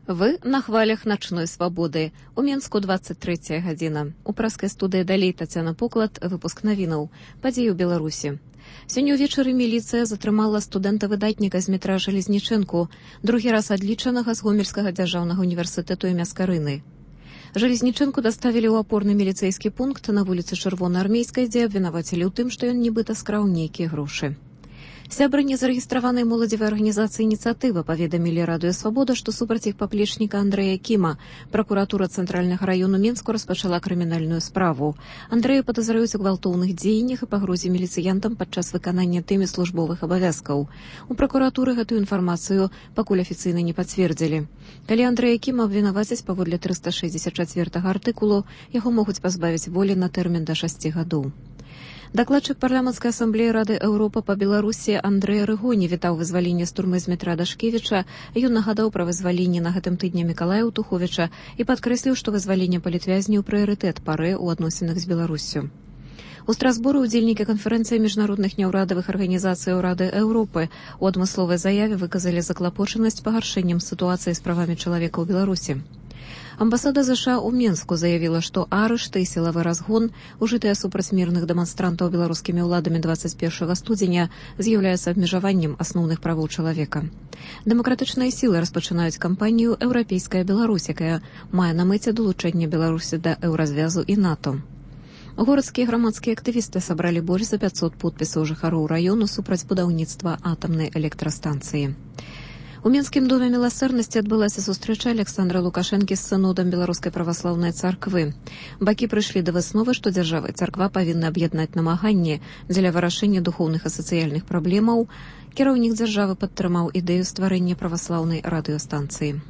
Вы на хвалях начной свабоды. У Менску 23 гадзіна. У праскай студыі далей Тацяна Поклад, выпуск навінаў. Падзеі ў Беларусі. Сёння ўвечары міліцыя затрымала студэнта-выдатніка з метра Жалезнічэнку, другі раз адлічанага з Гомельскага дзяржаўнага універсітэту імя Скарыны. Жалезнічэнку даставілі ў апорны міліцэйскі пункт на вуліцы Чырвонаармейскай, дзе абвінавацілі ў тым, што ён нібыта скраў нейкія грошы. Сябры незарэгістраванай моладзевай арганізацыі «Ініцыятыва» паведамілі Радыё Свабода, што супраць іх паплечніка Андрэя Кіма пракуратура Цэнтральнага раёну Менску распачала крымінальную справу. Андрэя падазраюць у гвалтоўных дзеяннях і пагрозе міліцыянтам падчас выканання тымі службовых абавязкаў. У пракуратуры гэтую інфармацыю пакуль афіцыйна не пацвердзілі. Калі Андрэя Кіма абвінавацяць паводле 364 артыкулу, яго могуць пазбавіць волі на тэрмін да 6 гадоў. Дакладчык парламенцкай асамблеі Рады Еўропы па Беларусі Андрэй Рыгоні вітаў вызваленне з турмы з метра Дашкевіча. Ён нагадаў пра вызваленне на гэтым тыдні Мікалая Утуховіча і падкрэсліў, што вызваленне палітвязняў прыярытэт пары ў адносінах з Беларуссю. У Страсбуры ўдзельнікі канферэнцыі міжнародных няўрадавых арганізацыяў Рады Еўропы у адмысловай заяве выказалі заклапочанасць пагаршэннем сітуацыі з правамі чалавека ў Беларусі. Амбасада США ў Менску заявіла, што арышты і сілавы разгон, ужытыя супраць мірных дэманстрантаў беларускімі ўладамі 21 студзеня, з'яўляецца абмежаваннем асноўных правоў чалавека. Дэмакратычныя сілы распачынаюць кампанію «Еўрапейская Беларусь», якая мае на мэце далучэнне Беларусі да еўразвязу і НАТО. Горадскія грамадскія актывісты сабралі больш за 500 подпісаў жыхароў раёну супраць будаўніцтва атамнай электрастанцыі. У Мінскім доме міласэрнасці адбылася сустрэча Александра Лукашэнкі з сынодам Беларускай праваслаўнай царквы. Бакі прыйшлі да высновы, што дзяржава і царква павінны аб'яднаць намаганні дзеля вырашэння духоўных і сацыяльных праблемаў. Кіраўнік дзяржавы падтрымаў ідэю стварэння праваслаўнай радыёстанцыі.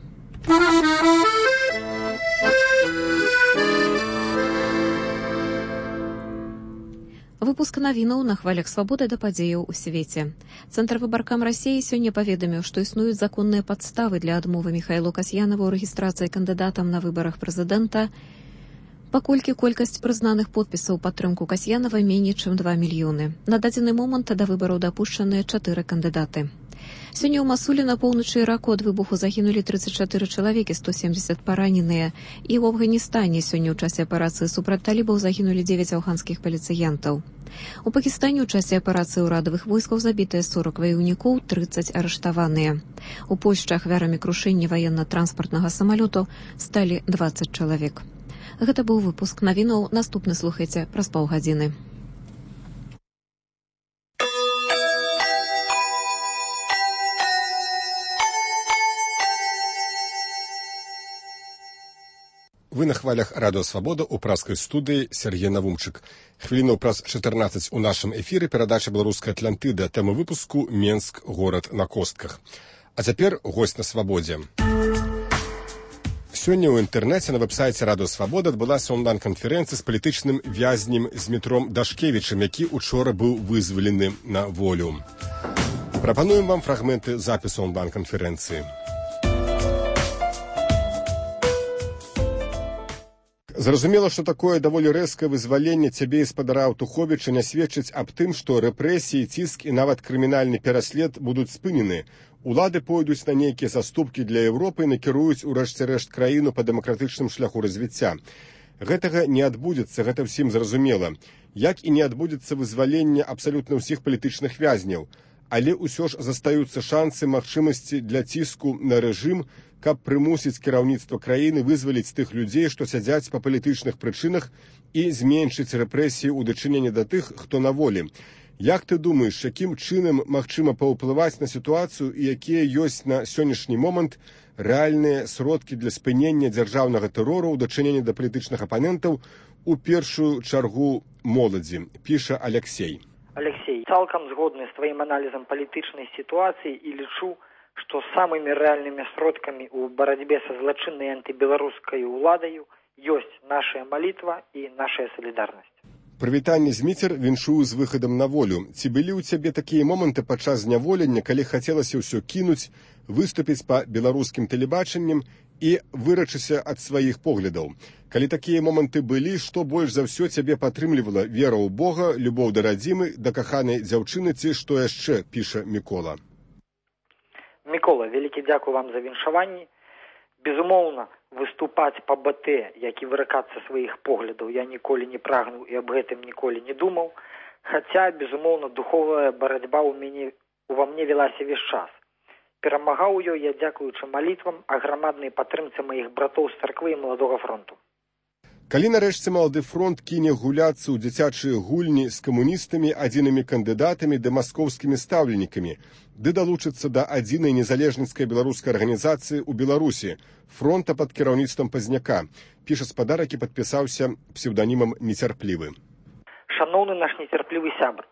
Выпуск навінаў на хвалях свабоды да падзеяў у свеце. Цэнтр выбаркам Расіі сёння паведаміў, што існуюць законныя падставы для адмовы Міхаілу Касьянаву ў рэгістрацыі кандыдатам на выбарах прэзідэнта, паколькі колькасць прызнаных подпісаў падтрымку Касьянава меней, чым 2 мільёны. На дадзены момант да выбараў дапушчаныя 4 кандыдаты. Сёння ў Масулі на поўначы Іраку ад выбуху загінулі 34 чалавекі, 170 параненыя. І ў Афганістане сёння ў часе аперацыі супраць талібаў загінулі 9 афганскіх паліцыянтаў. У Пакістане ў часе аперацыі ўрадавых войскаў забітыя 40 ваяўнікоў, 30 арыштаваныя. У Польшчы ахвярамі крушэння ваенна-транспартнага самалёту сталі 20 чалавек. Гэта быў выпуск навінаў. Наступны слухайце праз паўгадзіны. Вы на хвалях Радыё Свабода ў праскай студыі Сергей Навумчык. Хвілінаў праз 14 у нашым эфіры перадача «Беларуская Атлантыда», тэма выпуску «Менск. Горад на костках». А цяпер госць на свабодзе. Сёння ў інтэрнэце на вэб-сайце Радыё Свабода адбылася онлайн-канферэнцыя з палітычным вязнем з метром Дашкевічам, які учора быў вызвалены на волю. Прапануем вам фрагменты запісу онлайн-канферэнцыі. Зразумела, што такое даволі рэзкае вызваленне цябе і спадара Утуховіча не сведчыць аб тым, што рэпрэсіі, ціск і нават крымінальны пераслед будуць спынены. Улады пойдуць на нейкія заступкі для Еўропы і накіруюць у рэшце-рэшт краіну па дэмакратычным шляху развіцця. Гэтага не адбудзецца, гэта ўсім зразумела. Як і не адбудзецца вызваленне абсалютна ўсіх палітычных вязняў. Але ўсё ж застаюцца шансы, магчымасці для ціску на рэжым, каб прымусіць кіраўніцтва краіны вызваліць тых людзей, што сядзяць па палітычных прычынах і зменшыць рэпрэсіі ў дачыненні да тых, хто на волі. Як ты думаеш, якім чынам магчыма паўплываць на сітуацыю і якія ёсць на сённяшні момант рэальныя сродкі для спынення дзяржаўнага тэрору ў дачыненні да палітычных апанентаў, у першую чаргу моладзі, піша Алексей. Алексей, цалкам згодны з тваім аналізам палітычнай сітуацыі і лічу, што самымі рэальнымі сродкамі ў барацьбе са злачыннай антыбеларускай уладаю ёсць наша малітва і наша салідарнасць. Прывітанне Зміцер віншую з выхадам на волю. Ці былі ў цябе такія моманты падчас зняволення, калі хацелася ўсё кінуць, выступіць па беларускім тэлебачаннем і вырачыся ад сваіх поглядаў? Калі такія моманты былі, што больш за ўсё цябе падтрымлівала? Вера ў Бога, любоў да радзімы, да каханай дзяўчыны ці што яшчэ, піша Мікола. Мікола, вялікі дзякуй вам за віншаванні. Безумоўна, выступаць па БТ, як і выракацца сваіх поглядаў, я ніколі не прагнуў і аб гэтым ніколі не думаў, хаця, безумоўна, духовая барацьба ува мне велася весь час. Перамагаў ёй я дзякуючы малітвам а грамаднай падтрымцы маіх братоў з царквы і маладога фронту. Калі нарэшце малады фронт кіне гуляцца ў дзіцячыя гульні з камуністамі, адзінымі кандыдатамі ды маскоўскімі стаўленікамі, ды далучыцца да адзінай незалежніцкай беларускай арганізацыі ў Беларусі, фронта пад кіраўніцтвам Пазняка, піша спадар, які падпісаўся псеўданімам «Нецярплівы». Шаноўны наш нецярплівы сябр,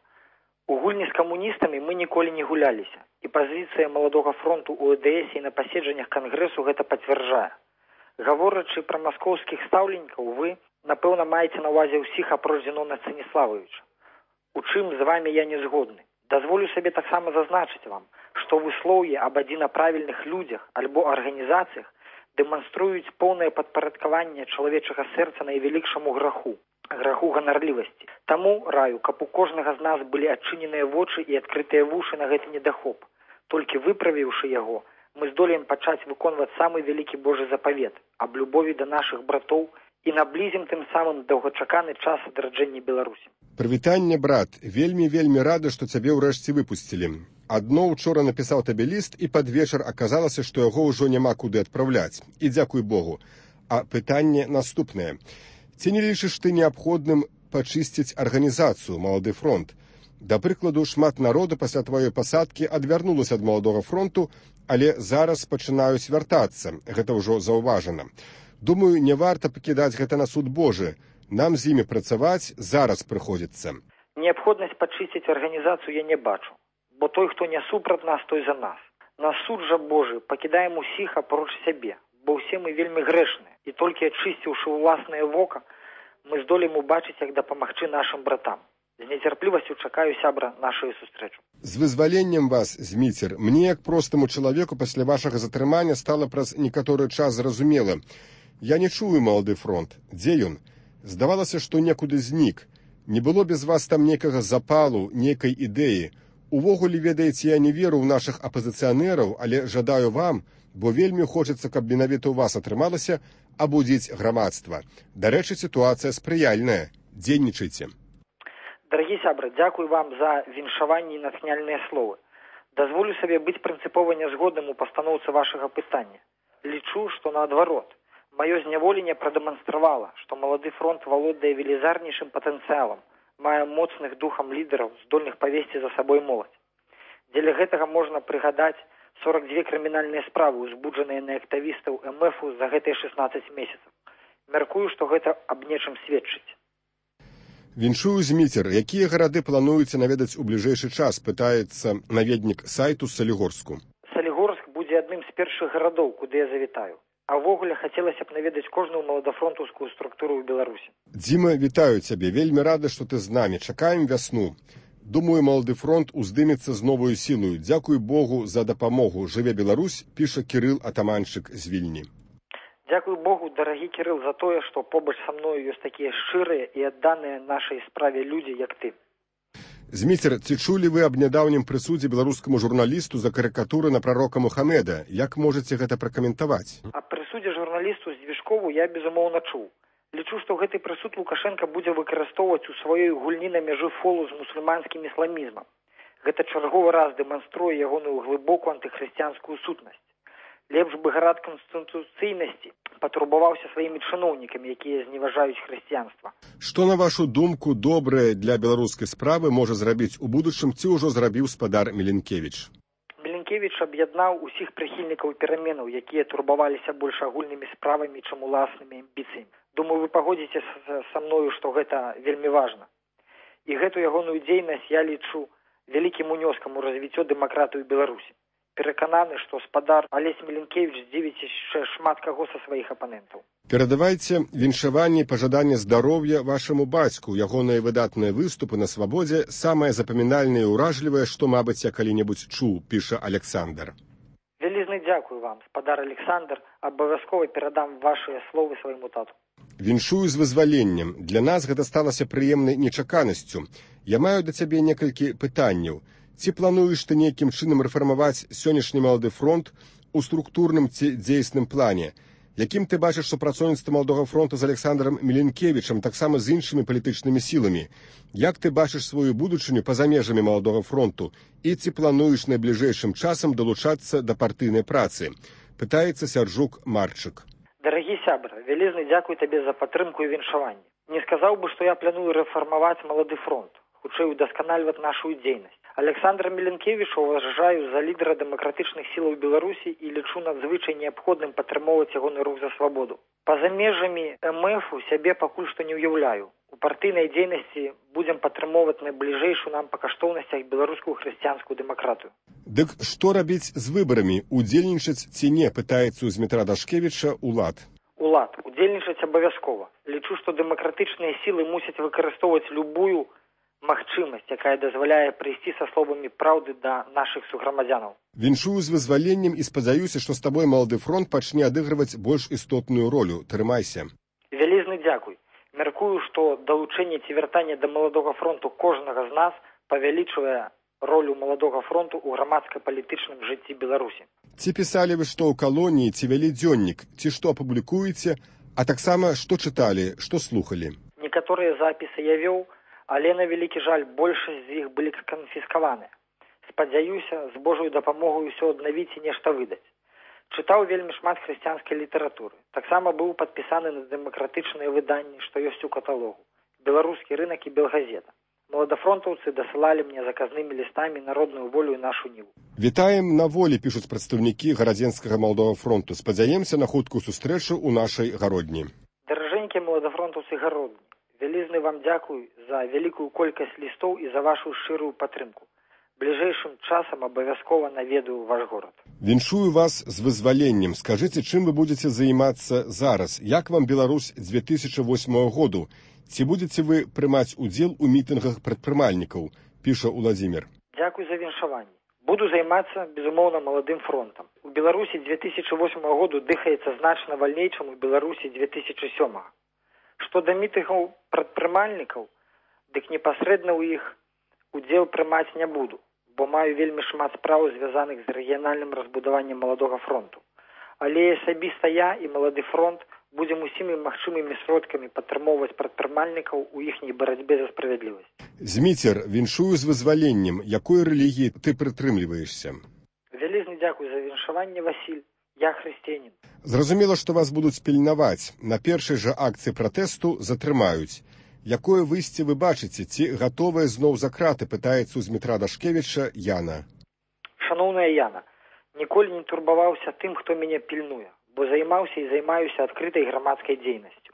у гульні з камуністамі мы ніколі не гуляліся, і пазіцыя маладога фронту ў ЭДС і на паседжаннях кангрэсу гэта пацвярджае. Гаворачы пра маскоўскіх стаўленікаў, вы, напэўна, маеце на ўвазе ўсіх апроч Зінона Станіславовича. У чым з вамі я не згодны. Дазволю сабе таксама зазначыць вам, што выслоўі аб адзінаправільных людзях альбо арганізацыях дэманструюць поўнае падпарадкаванне чалавечага сэрца найвялікшаму граху ганарлівасці. Таму раю, каб у кожнага з нас былі адчыненыя вочы і адкрытыя вушы на гэты недахоп. Толькі выправіўшы яго, мы здолеем пачаць выконваць самы вялікі Божы запавет аб любові да нашых братоў і наблізім тым самым доўгачаканы час адраджэння Беларусі. Прывітанне, брат, вельмі рады, што цябе ўрэшце выпусцілі. Адно учора напісаў табе ліст, і пад вечар аказалася, што яго ўжо няма куды адпраўляць. І дзякуй Богу. А пытанне наступнае. Ці не лічыш ты неабходным пачысціць арганізацыю «Малады фронт»? Да прыкладу, шмат народу пасля тваёй пасадкі адвярнулася ад маладога фронту, але зараз пачынаюць вяртацца. Гэта ўжо заўважана. Думаю, не варта пакідаць гэта на суд Божы. Нам з імі працаваць зараз прыходзіцца. Неабходнасць пачысціць арганізацыю я не бачу, бо той, хто не супраць нас, той за нас. На суд жа Божы пакідаем усіх апроч сябе, бо ўсе мы вельмі грэшныя, і толькі ачысціўшы ўласнае вока, мы здолеем убачыць, як дапамагчы нашым братам. З нецярплівасцю чакаю, сябра, нашую сустрэчу. З вызваленнем вас, Зміцер, мне, як простаму чалавеку, пасля вашага затрымання стала праз некаторы час зразумела. Я не чую «Малады фронт». Дзе ён? Здавалася, што некуды знік. Не было без вас там нейкага запалу, нейкай ідэі. Увогуле, ведаеце, я не веру ў нашых апазіцыянераў, але жадаю вам, бо вельмі хочацца, каб менавіта ў вас атрымалася абудзіць грамадства. Дарэчы, сітуацыя спрыяльная. Дзейнічайце. Дарагі сябры, дзякуй вам за віншаванне і натхняльныя словы. Дазволю сабе быць прынцыпова нязгодным у пастаноўцы вашага пытання. Лічу, што наадварот. Маё зняволенне прадэманстравала, што малады фронт валодае велізарнейшым патэнцыялам, мае моцных духам лідараў, здольных павесці за сабой моладзь. Дзеля гэтага можна прыгадаць 42 крымінальныя справы, узбуджаныя на актывістаў МФ за гэтыя 16 месяцаў. Мяркую, што гэта аб нечым сведчыць. Віншую, Зміцер, якія гарады плануеце наведаць у бліжэйшы час, пытаецца наведнік сайту Салігорску. Салігорск будзе адным з першых гарадоў, куды я завітаю. А ўвогуле хацелася б наведаць кожную маладафронтаўскую структуру ў Беларусі. Дзіма, вітаю цябе. Вельмі рады, што ты з намі. Чакаем вясну. Думаю, малады фронт уздымецца з новую сілою. Дзякуй Богу за дапамогу. Жыве Беларусь, піша Кірыл Атаманчык з Вільні. Дзякуй Богу, дарагі Кірыл, за тое, што побач са мною ёсць такія шчырыя і адданыя нашай справе людзі, як ты. Зміцер, ці чулі вы аб нядаўнім прысудзе беларускаму журналісту за карыкатуры на прарока Мухамеда? Як можаце гэта пракаментаваць? Аб прысудзе журналісту Здвижкову я, безумоўна, чуў. Лічу, што гэты прысуд Лукашенка будзе выкарыстоўваць у сваёй гульні на мяжы фолу з мусульманскім ісламізмам. Гэта чарговы раз дэманструе ягоную глыбокую антыхрысціянскую сутнасць. Лепш бы гарад канстытуцыйнасці патурбаваўся сваімі чыноўнікамі, якія зневажаюць хрысціянства. Што, на вашу думку, добрае для беларускай справы можа зрабіць у будучым, ці ўжо зрабіў спадар Міленкевіч? Міленкевіч аб'яднаў усіх прыхільнікаў пераменаў, якія турбаваліся больш агульнымі справамі, чым уласнымі амбіцыямі. Думаю, вы пагодзіце са мною, што гэта вельмі важна. І гэту ягоную дзейнасць я лічу вялікім унёскам у развіццё дэмакратыі ў Беларусі. Перакананы, што спадар Алесь Міленкевіч здзівіць яшчэ шмат каго са сваіх апанентаў. Перадавайце віншаванне і пажаданне здароўя вашаму бацьку. Ягоныя выдатныя выступы на свабодзе самае запамінальнае і ўражлівае, што, мабыць, я калі-небудзь чуў, піша Александр. Вялізны дзякуй вам, спадар Александр, абавязкова перадам вашыя словы свайму тату. Віншую з вызваленнем. Для нас гэта сталася прыемнай нечаканасцю. Я маю да цябе некалькі пытанняў. Ці плануеш ты нейкім чынам рэфармаваць сённяшні малады фронт у структурным ці дзейсным плане. Якім ты бачыш супрацоўніцтва Маладога фронту з Александром Міленкевічам, таксама з іншымі палітычнымі сіламі? Як ты бачыш сваю будучыню па-за межамі Маладога фронту і ці плануеш найбліжэйшым часам далучацца да партыйнай працы? Пытаецца Сяржук Марчык. Дарагі сябра, вялізны дзякуй табе за падтрымку і віншаванне. Не сказаў бы, што я планую рэфармаваць Малады фронт, хутчэй удасканальваць нашу дзейнасць. Александра Міленкевіча уважаю за лідара дэмакратычных сілаў Беларусі і лічу надзвычай неабходным падтрымоўваць ягоны рух за свабоду. Па-за межамі МФ-у сябе пакуль што не ўяўляю. У партыйнай дзейнасці будзем падтрымоўваць найбліжэйшую нам па каштоўнасцях беларускую хрысціянскую дэмакратыю. Дык што рабіць з выбарамі? Удзельнічаць ці не, пытаецца ў Змітра Дашкевіча улад. Улад, удзельнічаць абавязкова. Лічу, што дэмакратычныя сілы мусяць выкарыстоўваць любую магчымасць, якая дазваляе прыйсці са словамі праўды да нашых суграмадзянаў. Віншую з вызваленнем і спадзяюся, што з табой Малады фронт пачне адыгрываць больш істотную ролю. Трымайся. Вялізны дзякуй. Мяркую, што далучэнне ці вяртанне да Маладога фронту кожнага з нас павялічвае ролю Маладога фронту ў грамадска-палітычным жыцці Беларусі. Ці пісалі вы што ў калоніі, ці вялі дзённік, ці што апублікуеце, а таксама што чыталі, што слухалі? Некаторыя запісы я вёў, але, на вялікі жаль, большасць з іх былі канфіскаваныя. Спадзяюся, з Божою дапамогай усё аднавіць і нешта выдаць. Чытаў вельмі шмат хрысціянскай літаратуры. Таксама быў падпісаны на дэмакратычныя выданні, што ёсць у каталогу. Беларускі рынак і Белгазета. Маладафронтаўцы дасылалі мне заказнымі лістамі народную волю і нашу ніву. Вітаем на волі, пішуць прадстаўнікі гарадзенскага Маладога фронту. Спадзяемся на хуткую сустрэчу ў нашай гародні. Даражэнькія маладафронтаўцы гародні, вялізны вам дзякуй за вялікую колькасць лістоў і за вашу шчырую падтрымку. Бліжэйшым часам абавязкова наведаю ваш горад. Віншую вас з вызваленнем. Скажыце, чым вы будзеце займацца зараз? Як вам Беларусь 2008 году? Ці будзеце вы прымаць удзел у мітынгах прадпрымальнікаў? Піша Уладзімір. Дзякуй за віншаванне. Буду займацца, безумоўна, Маладым фронтам. У Беларусі 2008 году дыхаецца значна вальней, чым у Беларусі 2007. Што да мітынгаў прадпрымальнікаў, дык непасрэдна ў іх удзел прымаць не буду, бо маю вельмі шмат спраў, звязаных з рэгіянальным разбудаваннем Маладога фронту. Але асабіста я і Малады фронт будзем усімі магчымымі сродкамі падтрымоўваць прадпрымальнікаў у іхняй барацьбе за справядлівасць. Зміцер, віншую з вызваленнем. Якой рэлігіі ты прытрымліваешся? Вялізны дзякуй за віншаванне, Васіль. Я хрысціянін. Зразумела, што вас будуць пільнаваць. На першай жа акцыі пратэсту затрымаюць. Якое выйсце вы бачыце? Ці гатовыя зноў за краты, пытаецца ў Змітра Дашкевіча Яна. Шаноўная Яна, ніколі не турбаваўся тым, хто мяне пільнуе, бо займаўся і займаюся адкрытай грамадскай дзейнасцю.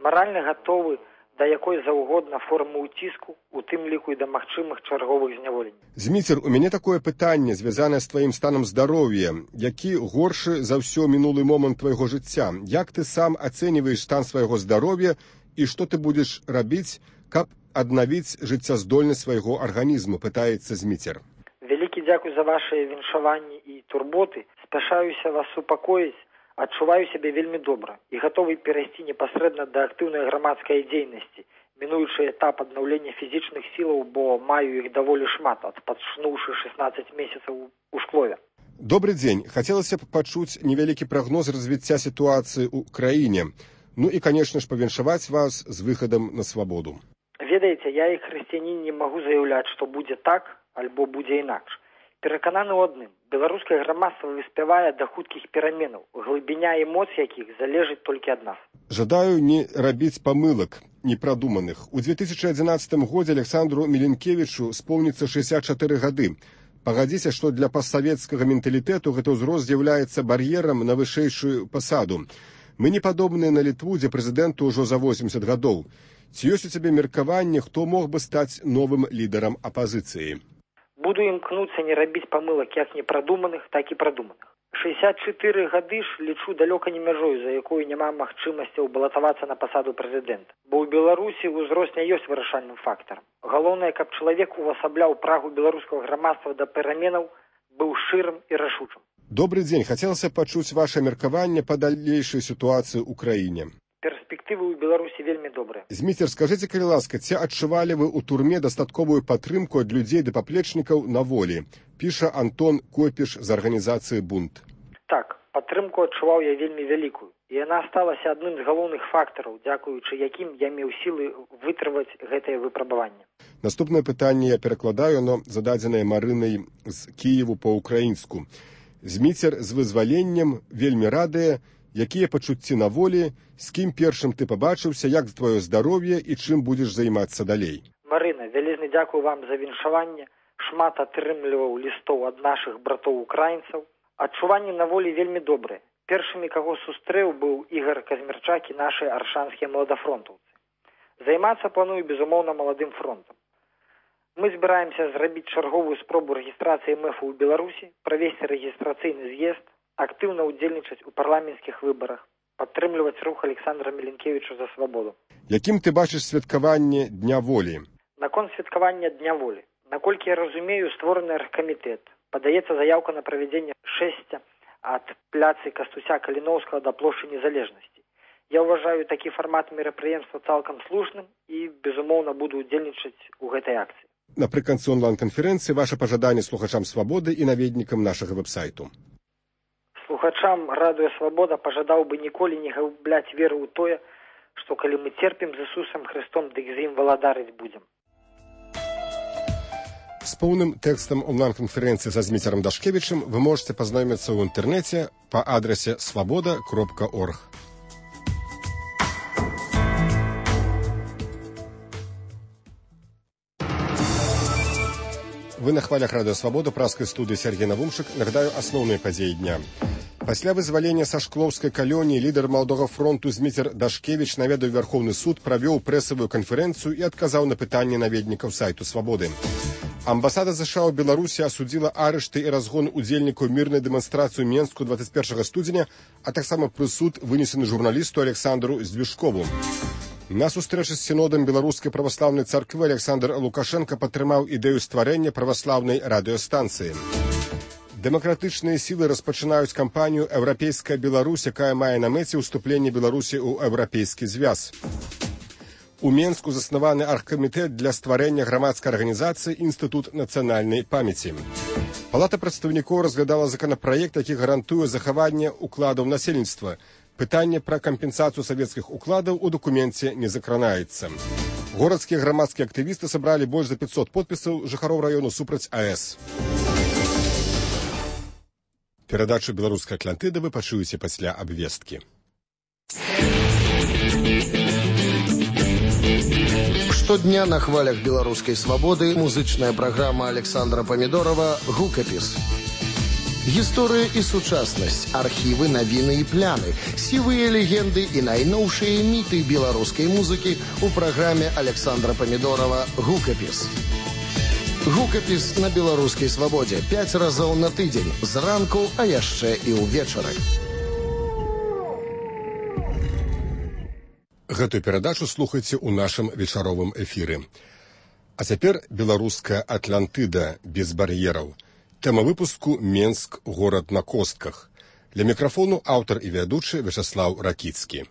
Маральна гатовы да якой заўгодна формы ўціску, у тым ліку і да магчымых чарговых зняволенняў. Зміцер, у мяне такое пытанне, звязанае з тваім станам здароўя. Які горшы за ўсё мінулы момант твайго жыцця? Як ты сам ацэньваеш стан свайго здароўя і што ты будзеш рабіць, каб аднавіць жыццяздольнасць свайго арганізму, пытаецца Зміцер. Вялікі дзякуй за вашыя віншаванні і турботы. Спяшаюся вас супакоіць. Адчуваю сябе вельмі добра і гатовы перайсці непасрэдна да актыўнай грамадскай дзейнасці, мінуючы этап аднаўлення фізічных сілаў, бо маю іх даволі шмат, адпачнуўшы 16 месяцаў у шклове. Добры дзень. Хацелася б пачуць невялікі прагноз развіцця сітуацыі ў краіне. Ну і, канешне ж, павіншаваць вас з выхадам на свабоду. Ведаеце, я, як хрысціянін, не магу заяўляць, што будзе так, альбо будзе інакш. Перакананы ў адным. Беларускае грамадства выспявае да хуткіх пераменаў, глыбіня эмоцый якіх залежыць толькі ад нас. Жадаю не рабіць памылак непрадуманых. У 2011 годзе Александру Міленкевічу споўніцца 64 гады. Пагадзіся, што для пастсавецкага менталітэту гэты ўзрост з'яўляецца бар'ерам на вышэйшую пасаду. Мы не падобныя на Літву, дзе прэзідэнту ўжо за 80 гадоў. Ці ёсць у цябе меркаванне, хто мог бы стаць новым лідарам апазіцыі? Буду імкнуцца не рабіць памылак як непрадуманых, так і прадуманых. 64 гады ж лічу далёка не мяжою, за якую няма магчымасцяў балатавацца на пасаду прэзідэнта. Бо ў Беларусі ўзрост не ёсць вырашальным фактарам. Галоўнае, каб чалавек увасабляў прагу беларускага грамадства да пераменаў, быў шчырым і рашучым. Добры дзень. Хацелася пачуць ваше меркаванне па далейшай сітуацыі ў краіне. Перспектывы ў Беларусі вельмі добрыя. Зміцер, скажыце, калі ласка, ці адчувалі вы ў турме дастатковую падтрымку ад людзей ды паплечнікаў на волі? Піша Антон Копіш з арганізацыі «Бунт». Так, Падтрымку адчуваў я вельмі вялікую, і яна сталася адным з галоўных фактараў, дзякуючы якім я меў сілы вытрываць гэтае выпрабаванне. Наступнае пытанне я перакладаю, оно зададзенае Марынай з Кіеву па-ўкраінску. Зміцер з вызваленнем вельмі радыя, якія пачуцці на волі, з кім першым ты пабачыўся, як твоё здароўе і чым будзеш займацца далей. Марына, вялізны дзякую вам за віншаванне, шмат атрымліваў лістоў ад нашых братоў-украінцаў. Адчуванні на волі вельмі добрыя. Першымі, каго сустрэў, быў Ігор Казмірчак і нашы аршанскія маладафронтаўцы. Займацца планую, безумоўна, маладым фронтам. Мы збіраемся зрабіць чарговую спробу рэгістрацыі МЭФу ў Беларусі, правесці рэгістрацыйны з'езд, актыўна ўдзельнічаць у парламенцкіх выбарах, падтрымліваць рух Александра Міленкевіча за свабоду. Якім ты бачыш святкаванне Дня волі? Наконт святкавання Дня волі. Наколькі я разумею, створаны аргкамітэт. Падаецца заяўка на правядзенне шэсця ад пляцы Кастуся Каліноўскага да плошчы Незалежнасці. Я ўважаю такі фармат мерапрыемства цалкам слушным і, безумоўна, буду ўдзельнічаць у гэтай акцыі. Напрыканцы онлайн-канферэнцыі ваша пажаданне слухачам свабоды і наведнікам нашага вэб-сайту. Слухачам радыё Свабода пажадаў бы ніколі не губляць веру ў тое, што калі мы церпім з Ісусам Христом, дык з ім валадарыць будзем. З поўным тэкстам онлайн-канферэнцыі са Зміцерам Дашкевічым вы можете пазнаёміцца ў інтэрнэце па адрасе swaboda.org. Вы на хвалях радыё Свабода, праскай студыі Сергей Навумшык. Нагадаю асноўныя падзеі дня. Пасля вызвалення са шклоўскай калоніі лідар маладога фронту Зміцер Дашкевіч наведаў Верховны суд, правёў прэсавую канферэнцыю і адказаў на пытанні наведнікаў сайту Свабоды. Амбасада США ў Беларусі асудзіла арышты і разгон удзельнікаў мірнай дэманстрацыі ў Менску 21 студзеня, а таксама прысуд вынесены журналісту Александру Здвижкову. На сустрэчы з сінодам беларускай праваслаўнай царквы Александр Лукашенко падтрымаў ідэю стварэння праваслаўнай радыёстанцыі. Дэмакратычныя сілы распачынаюць кампанію «Еўрапейская Беларусь», якая мае на мэце ўступленне Беларусі ў еўрапейскі звяз. У Менску заснаваны аргкамітэт для стварэння грамадскай арганізацыі «Інстытут нацыянальнай памяці». Палата прадстаўнікоў разглядала законапраект, які гарантуе захаванне укладаў насельніцтва. Пытанне пра кампенсацыю савецкіх укладаў у дакуменце не закранаецца. Горадскія грамадскія актывісты сабралі больш за 500 подпісаў жыхароў раёну супраць АЭС. Перадачу «Беларускай Атлантыды» вы пачуеце пасля абвесткі. Штодня на хвалях беларускай свабоды музычная праграма Александра Памідорова «Гукапіс». Гісторыя і сучаснасць, архівы, навіны і пляны, сівыя легенды і найноўшыя міты беларускай музыкі ў праграме Александра Памідорова «Гукапіс». Гукапіс на беларускай свабодзе 5 разоў на тыдзень, зранку, а яшчэ і ўвечары. Гэтую перадачу слухайце ў нашым вечаровым эфіры. А цяпер беларуская Атлантыда без бар'ераў. Тэма выпуску «Менск. Горад на костках». Для мікрафону аўтар і вядучы Вячаслаў Ракіцкі.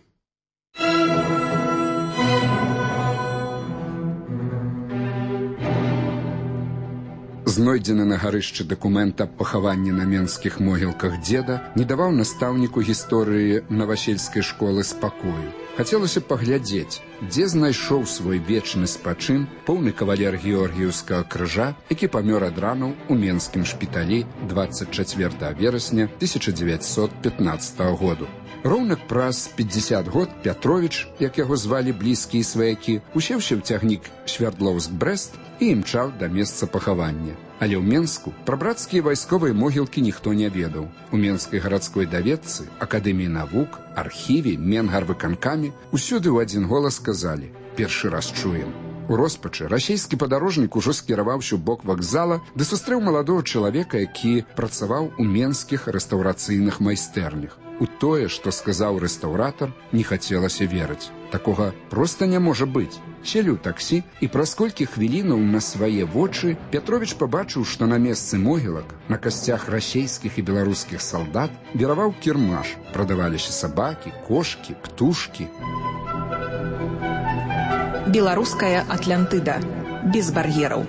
Знойдзены на гарышчы дакумент аб пахаванні на менскіх могілках дзеда не даваў настаўніку гісторыі навасельскай школы спакою. Хацелася паглядзець, дзе знайшоў свой вечны спачын поўны кавалер Георгіўскага крыжа, які памёр ад ранаў у менскім шпіталі 24 верасня 1915 году. Роўна праз 50 год Пятровіч, як яго звалі блізкія сваякі, усеўся ў цягнік Свярдлоўск-Брэст і імчаў да месца пахавання. Але ў Менску пра брацкія вайсковыя могілкі ніхто не ведаў. У Менскай гарадской даведцы, Акадэміі навук, архіве, Менгарвыканкаме усюды ў адзін голас сказалі: «Першы раз чуем». У роспачы расійскі падарожнік ужо скіраваўся ў бок вакзала, ды сустрэў маладога чалавека, які працаваў у менскіх рэстаўрацыйных майстэрнях. У тое, што сказаў рэстаўратар, не хацелася верыць. Такога проста не можа быць. Селі ў таксі, і праз колькі хвілінаў на свае вочы Пятровіч пабачыў, што на месцы могілак, на касцях расійскіх і беларускіх салдат віраваў кірмаш. Прадаваліся сабакі, кошкі, птушкі. Беларуская Атлантыда. Без бар'ераў.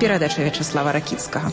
Перадача Вячаслава Ракіцкага.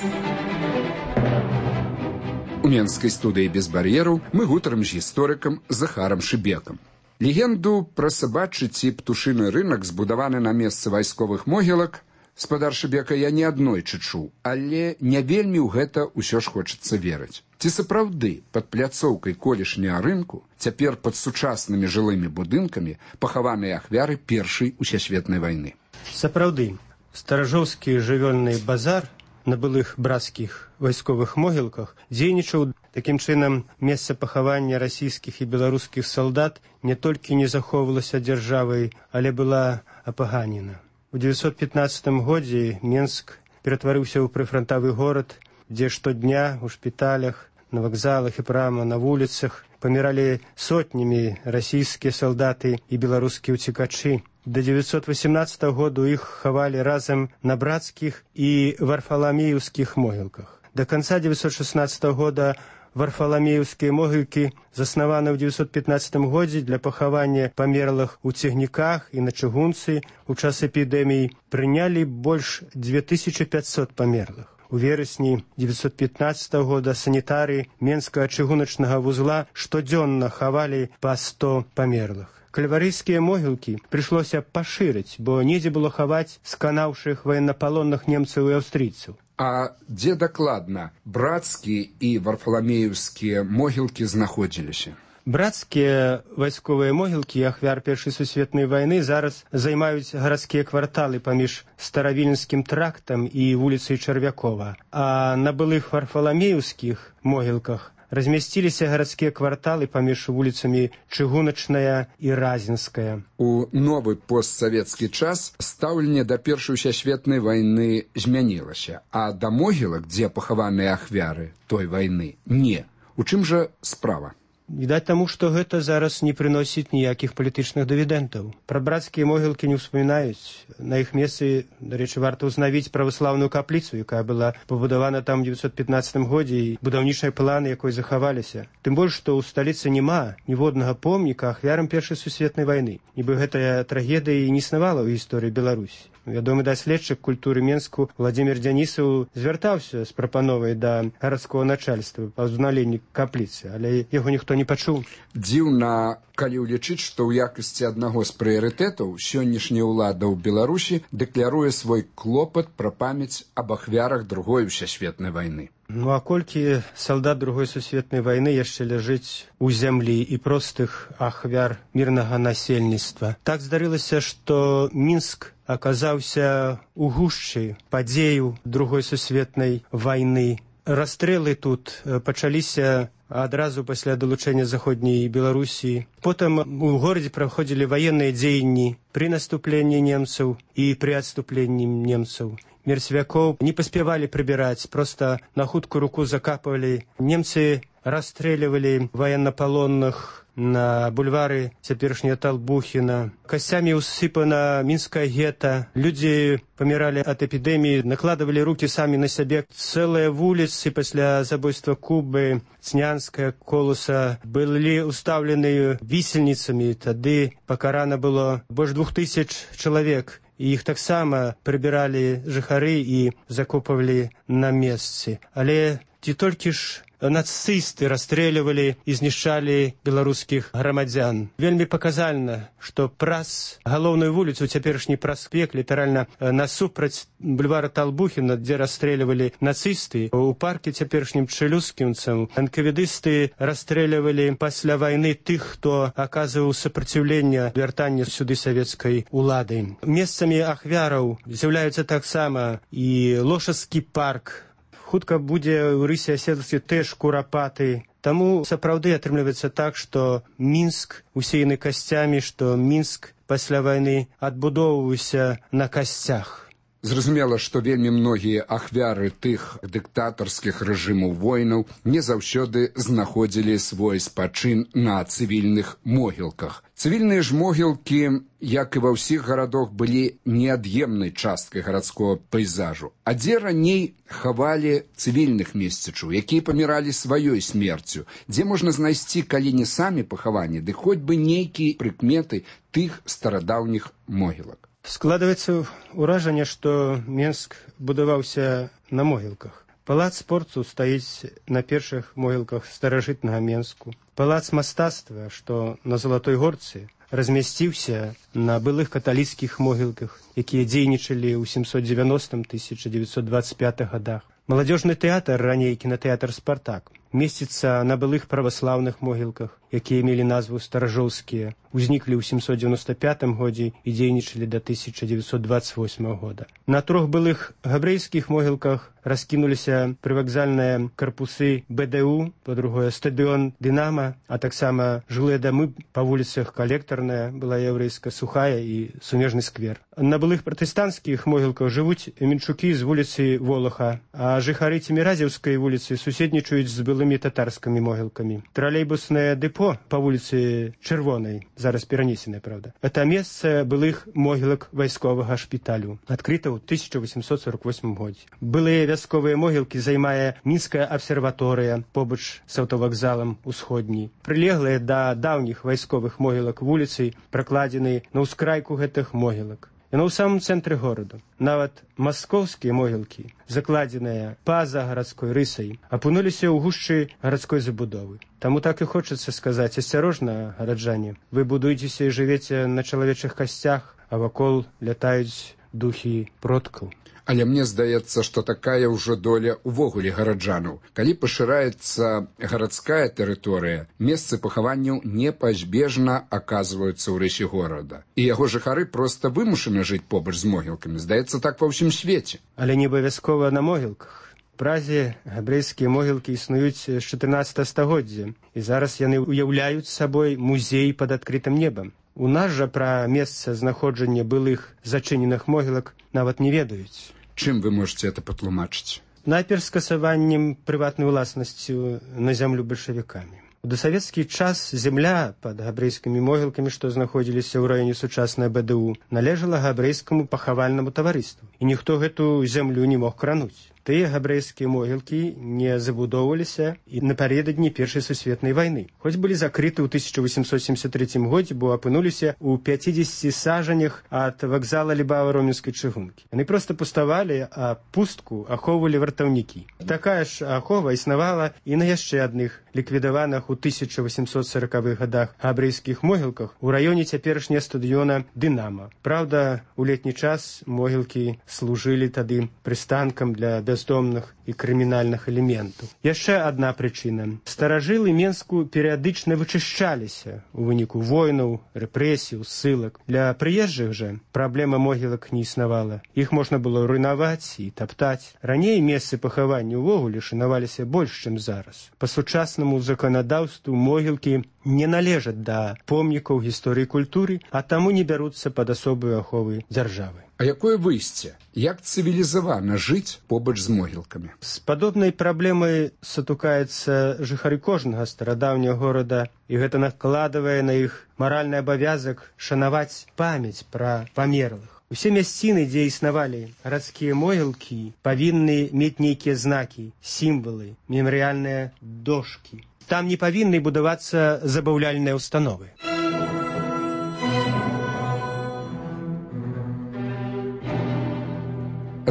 У менскай студыі «Без бар'ераў» мы гутарым з гісторыкам Захарам Шыбекам. Легенду пра сабачы ці птушыны рынак, збудаваны на месцы вайсковых могілак, спадар Шыбека, я не аднойчы чуў, але не вельмі ў гэта ўсё ж хочацца верыць. Ці сапраўды пад пляцоўкай колішняга рынку, цяпер пад сучаснымі жылымі будынкамі, пахаваныя ахвяры Першай усесветнай вайны? Сапраўды, старажоўскі жывёльны базар на былых брацкіх вайсковых могілках дзейнічаў. Такім чынам, месца пахавання расійскіх і беларускіх салдат не толькі не захоўвалася дзяржавай, але была апаганена. У 915 годзе Менск ператварыўся ў прыфрантавы горад, дзе штодня ў шпіталях, на вакзалах і прама на вуліцах паміралі сотнямі расійскія салдаты і беларускія ўцекачы. До 918 году іх хавалі разам на брацкіх і варфаламеевскіх могілках. До конца 916 года варфаламеевскія могілкі, заснаваны ў 915 годзе для пахавання памерлых у цягніках і на чыгунцы, у час эпідэміі прынялі больш 2500 памерлых. У верасні 915 года санітары Менскага чыгуначнага вузла штодзённа хавалі па 100 памерлых. Кальварыйскія могілкі прыйшлося пашырыць, бо недзе было хаваць сканаўшых ваеннапалонных немцаў і аўстрыйцаў. А дзе дакладна брацкія і варфаламеевскія могілкі знаходзіліся? Брацкія вайсковыя могілкі ахвяр Першай сусветнай вайны зараз займаюць гарадскія кварталы паміж Старавіленскім трактам і вуліцай Чарвякова. А на былых варфаламеевскіх могілках размясціліся гарадскія кварталы паміж вуліцамі Чыгуначная і Разінская. У новы постсавецкі час стаўленне да Першай усесветнай вайны змянілася, а да могілак, дзе пахаваныя ахвяры той вайны, не. У чым жа справа? Відаць таму, што гэта зараз не прыносіць ніякіх палітычных дывідэнтаў. Пра брацкія могілкі не ўспамінаюць. На іх месцы, дарэчы, варта ўзнавіць праваслаўную капліцу, якая была пабудавана там у 915 годзе, і будаўнічыя планы якой захаваліся. Тым больш, што ў сталіцы няма ніводнага помніка ахвярам Першай сусветнай вайны. Нібы гэтая трагедыя і не існавала ў гісторыі Беларусі. Вядомы даследчык культуры Менску Владзімір Дзянісаў звяртаўся з прапановай да гарадскога начальства па ўзнаўленні капліцы, але яго ніхто не пачуў. Дзіўна, калі ўлічыць, што ў якасці аднаго з прыярытэтаў сённяшняя ўлада ў Беларусі дэкляруе свой клопат пра памяць аб ахвярах Другой усесветнай вайны. Ну а колькі салдат Другой сусветнай вайны яшчэ ляжыць у зямлі і простых ахвяр мірнага насельніцтва. Так здарылася, што Мінск аказаўся у гушчы падзеяў Другой сусветнай вайны. Расстрэлы тут пачаліся адразу пасля далучэння Заходняй Беларусі. Потым у горадзе праходзілі ваенныя дзеянні пры наступленні немцаў і пры адступленні немцаў. Мерцвякоў не паспявалі прыбіраць, проста на хуткую руку закапывалі. Немцы расстрэльвалі ваеннапалонных на бульвары цяперашняга Талбухіна. Касцямі ўсыпана мінскае гета. Людзі паміралі ад эпідэміі, накладывалі рукі самі на сябе. Цэлыя вуліцы пасля забойства Кубы, Цнянская, Колуса былі ўстаўлены вісельніцамі. Тады пакарана было больш 2000 чалавек. І іх таксама прыбіралі жыхары і закопвалі на месцы. Але ці толькі ж нацысты расстрэльвалі і знішчалі беларускіх грамадзян. Вельмі паказальна, што праз галоўную вуліцу, цяперашні праспект, літаральна насупраць бульвара Талбухіна, дзе расстрэльвалі нацысты, у парке цяперашнім чэлюскінцам энкавідысты расстрэльвалі пасля вайны тых, хто аказваў супраціўленне вяртання сюды савецкай улады. Месцамі ахвяраў з'яўляюцца таксама і Лошадскі парк. Хутка будзе ў рысе аседласці тэж курапаты. Таму сапраўды атрымліваецца так, што Мінск усеяны касцямі, што Мінск пасля вайны адбудоўваўся на касцях. Зразумела, што вельмі многія ахвяры тых дыктатарскіх рэжымаў войнаў не заўсёды знаходзілі свой спачын на цывільных могілках. Цывільныя ж могілкі, як і ва ўсіх гарадах, былі неад'емнай часткай гарадскога пейзажу. А дзе раней хавалі цывільных месцічаў, якія паміралі сваёй смерцю, дзе можна знайсці, калі не самі пахаванні, ды хоць бы нейкія прыкметы тых старадаўніх могілак. Складваецца ўражанне, што Менск будаваўся на могілках. Палац спорту стаіць на першых могілках старажытнага Менску. Палац мастацтва, што на Залатой горцы, размясціўся на былых каталіцкіх могілках, якія дзейнічалі ў 790-1925 годах. Маладзёжны тэатр, раней кінатэатр «Спартак», месціцца на былых праваслаўных могілках, якія мелі назву старажоўскія, узніклі ў 795 годзе і дзейнічалі да 1928 года. На 3 былых габрэйскіх могілках раскінуліся прывакзальныя карпусы БДУ, па-другое, стадыён «Дынама», а таксама жылыя дамы па вуліцах Калектарная, была яўрэйская, Сухая і Сумежны сквер. На былых пратэстанцкіх могілках жывуць менчукі з вуліцы Волаха, а жыхары Цеміразеўскай вуліцы суседнічаюць з былымі татарскімі могілкамі. Тралейбуснае дэпо па вуліцы Чырвонай, зараз перанесенае, правда. Это месца былых могілак вайсковага шпіталю, адкрыта ў 1848 годзе. Былыя вясковыя могілкі займае Мінская абсерваторыя побач з аўтавакзалам Усходні. Прылеглыя да даўніх вайсковых могілак вуліцы пракладзены на ўскрайку гэтых могілак. Яно ў самым цэнтры гораду. Нават маскоўскія могілкі, закладзеныя па-за гарадской рысай, апынуліся ў гушчы гарадской забудовы. Таму так і хочацца сказаць: асцярожна, гараджане, вы будуецеся і жывеце на чалавечых касцях, а вакол лятаюць духі продкаў. Але мне здаецца, што такая ўжо доля увогуле гараджанаў. Калі пашыраецца гарадская тэрыторыя, месцы пахаванняў непазбежна аказваюцца ў рэчы горада. І яго жыхары проста вымушаны жыць побач з могілкамі. Здаецца, так ва ўсім свеце. Але не абавязкова на могілках. У Празе габрэйскія могілкі існуюць з 14 стагоддзя, і зараз яны ўяўляюць сабой музей пад адкрытым небам. У нас жа пра месца знаходжання былых зачыненых могілак нават не ведаюць. Чым вы можете это патлумачыць? Найперш скасаваннем прыватнай уласнасцю на зямлю бальшавікамі. У дасавецкі час земля пад габрэйскімі могілкамі, што знаходзіліся ў раёне сучаснай БДУ, належала габрэйскаму пахавальнаму таварыству, і ніхто гэту зямлю не мог крануць. Тыя габрэйскія могілкі не забудоўваліся і напярэдадні Першай сусветнай вайны. Хоць былі закрыты ў 1873 годзе, бо апынуліся ў 50 сажанях ад вакзала Лібава-Роменскай чыгункі. Яны проста пуставалі, а пустку ахоўвалі вартаўнікі. Такая ж ахова існавала і на яшчэ адных ліквідаваных у 1840-х годах габрэйскіх могілках у раёне цяперашняга стадыёна «Дынама». Праўда, у летні час могілкі служылі тады прыстанкам для бяздомных і крымінальных элементаў. Яшчэ адна прычына. Старажылы Менску перыядычна вычышчаліся ў выніку войнаў, рэпрэсій, ссылак. Для прыезджых жа праблема могілак не існавала. Іх можна было руйнаваць і таптаць. Раней месцы пахавання ўвогуле шанаваліся больш, чым зараз. Па сучаснаму заканадаўству могілкі не належаць да помнікаў гісторыі культуры, а таму не бяруцца пад асобую аховы дзяржавы. А якое выйсце? Як цывілізавана жыць побач з могілкамі? З падобнай праблемай сутыкаецца жыхары кожнага старадаўняга горада, і гэта накладвае на іх маральны абавязак шанаваць памяць пра памерлых. Усе мясціны, дзе існавалі гарадскія могілкі, павінны мець нейкія знакі, сімвалы, мемарыяльныя дошкі. Там не павінны будавацца забаўляльныя ўстановы.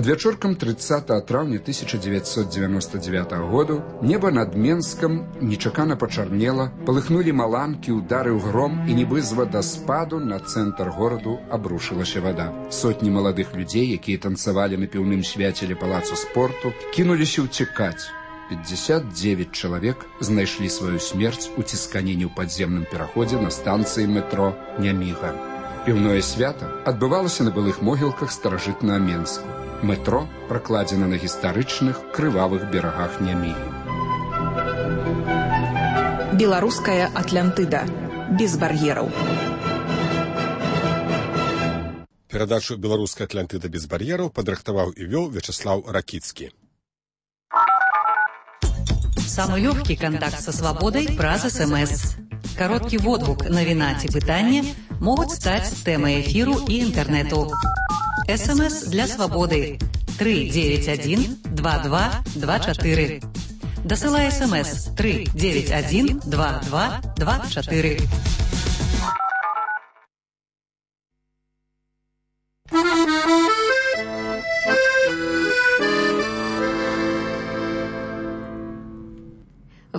Адвячоркам 30 траўня 1999 году неба над Менскам нечакана пачарнела, палыхнулі маланкі, ударыў гром, і нібы з вадаспаду на цэнтр гораду абрушылася вада. Сотні маладых людзей, якія танцавалі на піўным свяце ля палацу спорту, кінуліся ўцякаць. 59 чалавек знайшлі сваю смерць у цісканіне ў падземным пераходзе на станцыі метро Няміга. Піўное свята адбывалася на былых могілках старажытнага Менску. Метро пракладзена на гістарычных крывавых берагах Нямігі. Беларуская Атлантыда. Без бар'ераў. Перадачу «Беларуская Атлантыда без бар'ераў» падрыхтаваў і вёў Вячеслав Ракіцкі. Самый легкий контакт со свободой праз СМС. Короткий водгук, навіна ці пытанне могуць стаць тэмай эфіру і інтэрнэту. СМС для свободы 391-2224. Дасылай СМС 391-2224.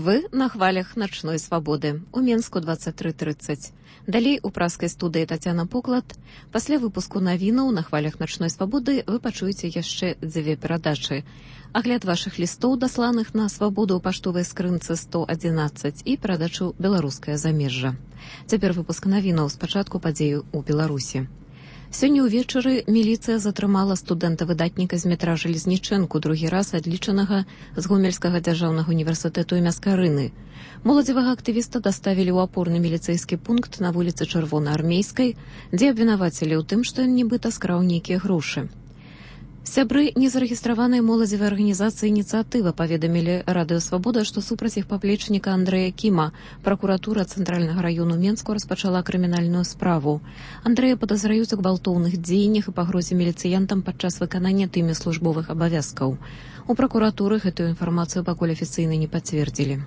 Вы на хвалях начной свабоды. У Менску 23:30. Далей у праскай студыі Тацяна Поклад. Пасля выпуску навінаў на хвалях начной свабоды вы пачуеце яшчэ 2 перадачы. Агляд вашых лістоў, дасланых на свабоду ў паштовай скрынцы 111 і перадачу «Беларускае замежжа». Цяпер выпуск навінаў, спачатку падзею ў Беларусі. Сёння ўвечары міліцыя затрымала студэнта-выдатніка з метра Жалезнічэнку, другі раз адлічанага з Гомельскага дзяржаўнага універсітэту імя Скарыны. Моладзевага актывіста даставілі ў апорны міліцэйскі пункт на вуліцы Чырвонаармейскай, дзе абвінавацілі ў тым, што ён нібыта скраў нейкія грошы. Сябры незарэгістраванай моладзевай арганізацыі «Ініцыятыва» паведамілі Радыё Свабода, што супраць іх паплечніка Андрэя Кіма пракуратура Цэнтральнага раёну Менску распачала крымінальную справу. Андрэя падазраюць у гвалтоўных дзеяннях і пагрозе міліцыянтам падчас выканання тымі службовых абавязкаў. У пракуратуры гэтую інфармацыю пакуль афіцыйна не пацвердзілі.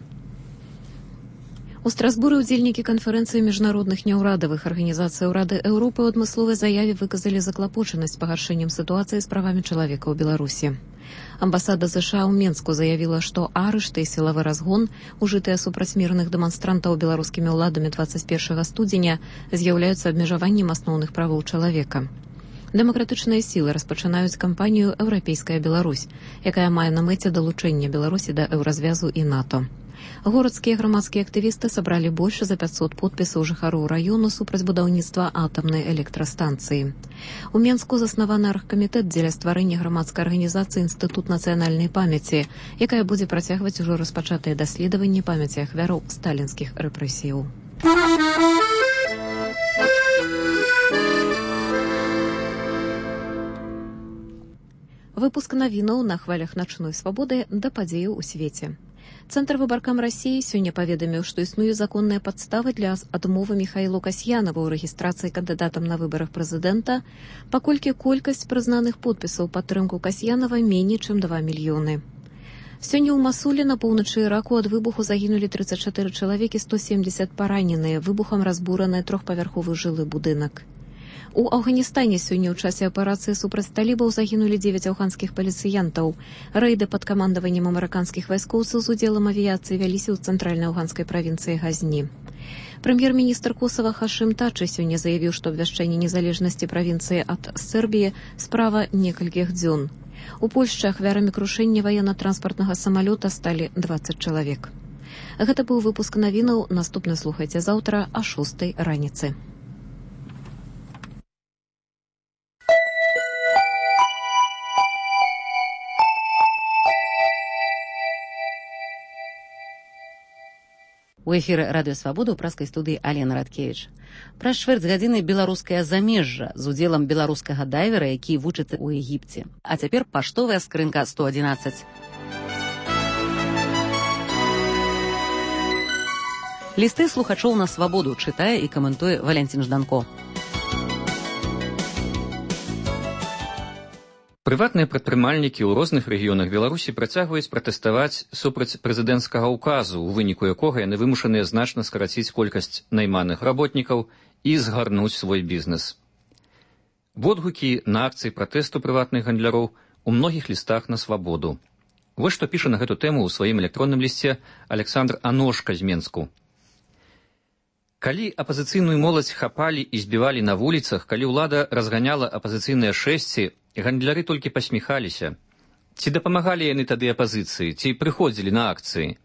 У Страсбуры ўдзельнікі канферэнцыі міжнародных няўрадавых арганізацый Рады Еўропы ў адмысловай заяве выказалі заклапочанасць пагаршэннем сітуацыі з правамі чалавека ў Беларусі. Амбасада США ў Менску заявіла, што арышты і сілавы разгон, ужытыя супраць мірных дэманстрантаў беларускімі ўладамі 21 студзеня, з'яўляюцца абмежаваннем асноўных правоў чалавека. Дэмакратычныя сілы распачынаюць кампанію «Еўрапейская Беларусь», якая мае на мэце далучэнне Беларусі да еўразвязу і НАТО. Горадскія грамадскія актывісты сабралі больш за 500 подпісаў жыхароў раёну супраць будаўніцтва атамнай электрастанцыі. У Менску заснаваны аргкамітэт дзеля стварэння грамадскай арганізацыі «Інстытут нацыянальнай памяці», якая будзе працягваць ужо распачатыя даследаванні памяці ахвяраў сталінскіх рэпрэсіяў. Выпуск навінаў на хвалях начной свабоды да падзеяў у свеце. Цэнтр выбаркам Расіі сёння паведаміў, што існуе законная падстава для адмовы Міхаілу Касьянаву ў рэгістрацыі кандыдатам на выбарах прэзідэнта, паколькі колькасць прызнаных подпісаў падтрымку Касьянава меней, чым 2 мільёны. Сёння ў Масуле на поўначы Іраку ад выбуху загінулі 34 чалавекі, 170 параненыя, выбухам разбураны 3-павярховы жылы будынак. У Афганістане сёння ў часе аперацыі супраць талібаў загінулі 9 афганскіх паліцыянтаў. Рэйды пад камандаваннем амерыканскіх вайскоўцаў з удзелам авіяцыі вяліся ў цэнтральнай афганскай правінцыі Газні. Прэм'ер-міністр Косава Хашым Тачы сёння заявіў, што абвяшчэнне незалежнасці правінцыі ад Сербіі справа некалькіх дзён. У Польшчы ахвярамі крушэння ваенна-транспартнага самалёта сталі 20 чалавек. Гэта быў выпуск навінаў. Наступны слухайце заўтра а 6 раніцы. У эфіры Радыё Свабода ў праскай студыі Алена Радкевіч. Праз чвэрць гадзіны беларускае замежжа з удзелам беларускага дайвера, які вучыцца ў Егіпце. А цяпер паштовая скрынка 111. Лісты слухачоў на свабоду чытае і каментуе Валянцін Жданко. Прыватныя прадпрымальнікі ў розных рэгіёнах Беларусі працягваюць пратэставаць супраць прэзідэнцкага ўказу, у выніку якога яны вымушаныя значна скараціць колькасць найманых работнікаў і згарнуць свой бізнес. Водгукі на акцыі пратэсту прыватных гандляроў у многіх лістах на свабоду. Вось што піша на гэту тэму ў сваім электронным лісце Александр Аношка з Менску. Калі апазіцыйную моладзь хапалі і збівалі на вуліцах, калі ўлада разганяла апазіцыйныя шэсці, гандляры толькі пасміхаліся. Ці дапамагалі яны тады апазіцыі, ці прыходзілі на акцыі?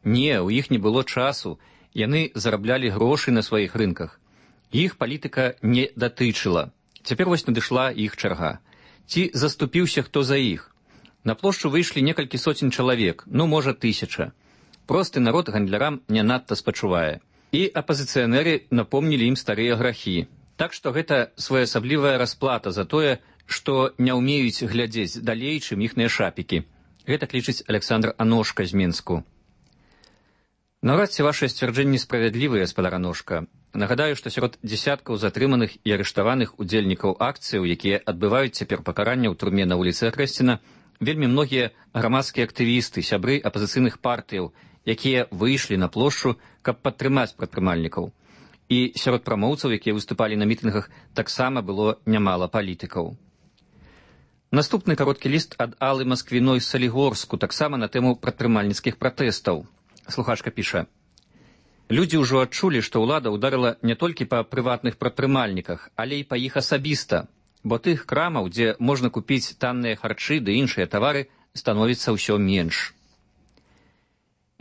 Не, у іх не было часу, яны зараблялі грошы на сваіх рынках. Іх палітыка не датычыла. Цяпер вось надышла іх чарга. Ці заступіўся хто за іх? На плошчу выйшлі некалькі соцень чалавек, можа 1000. Просты народ гандлярам не надта спачувае. І апазіцыянеры напомнілі ім старыя грахі. Так што гэта своеасаблівая расплата за тое, што не ўмеюць глядзець далей, чым іхныя шапікі. Гэта лічыць Александр Аношка з Менску. Наўрад ці вашыя сцвярджэнні справядлівыя, гаспадар Аношка. Нагадаю, што сярод дзесяткаў затрыманых і арыштаваных удзельнікаў акцыяў, якія адбываюць цяпер пакаранне ў турме на вуліцы Акрэсціна, вельмі многія грамадскія актывісты, сябры апазіцыйных партыяў, якія выйшлі на плошчу, каб падтрымаць прадпрымальнікаў. І сярод прамоўцаў, якія выступалі на мітынгах, таксама было нямала палітыкаў. Наступны кароткі ліст ад Аллы Масквіной з Салігорску, таксама на тэму прадпрымальніцкіх пратэстаў. Слухачка піша: «Людзі ўжо адчулі, што ўлада ўдарыла не толькі па прыватных прадпрымальніках, але і па іх асабіста, бо тых крамаў, дзе можна купіць танныя харчы ды іншыя тавары, становіцца ўсё менш».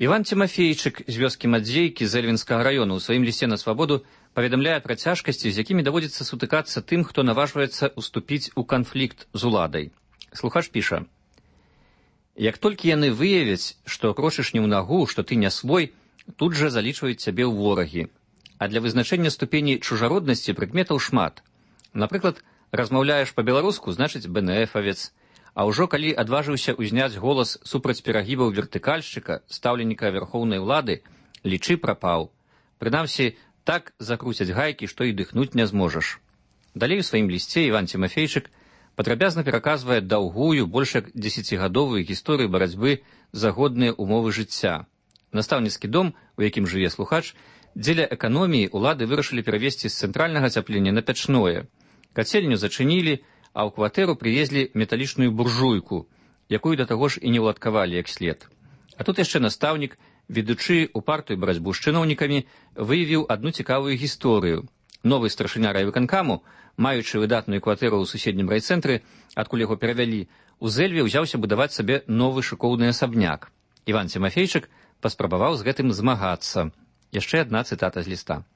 Іван Тимофейчык з вёскі Мадзейкі з Эльвінскага раёну ў сваім лісце на свабоду паведамляе пра цяжкасці, з якімі даводзіцца сутыкацца тым, хто наважваецца уступіць у канфлікт з уладай. Слухач піша: «Як толькі яны выявяць, што крочыш не ў нагу, што ты не свой, тут жа залічваюць цябе ў ворагі. А для вызначэння ступені чужароднасці прыкметаў шмат. Напрыклад, размаўляеш па-беларуску, значыць БНФавец. А ўжо калі адважыўся ўзняць голас супраць перагібаў вертыкальшчыка, стаўленніка вярхоўнай улады, лічы прапаў. Прынамсі, так закруцяць гайкі, што і дыхнуць не зможаш». Далей у сваім лісце Іван Тимофейчык падрабязна пераказвае даўгую, больш як 10гадовую гісторыю барацьбы за годныя умовы жыцця. Настаўніцкі дом, у якім жыве слухач, дзеля эканоміі ўлады вырашылі перавесці з цэнтральнага ацяплення на пячное. Кацельню зачынілі, а ў кватэру прывезлі металічную буржуйку, якую да таго ж і не ўладкавалі як след. А тут яшчэ настаўнік, ведучы упартую барацьбу з чыноўнікамі, выявіў адну цікавую гісторыю. Новы старшыня райвыканкаму, маючы выдатную кватэру ў суседнім райцэнтры, адкуль яго перавялі, у Зэльве ўзяўся будаваць сабе новы шыкоўны асабняк. Іван Тимофейчык паспрабаваў з гэтым змагацца. Яшчэ адна цытата з ліста: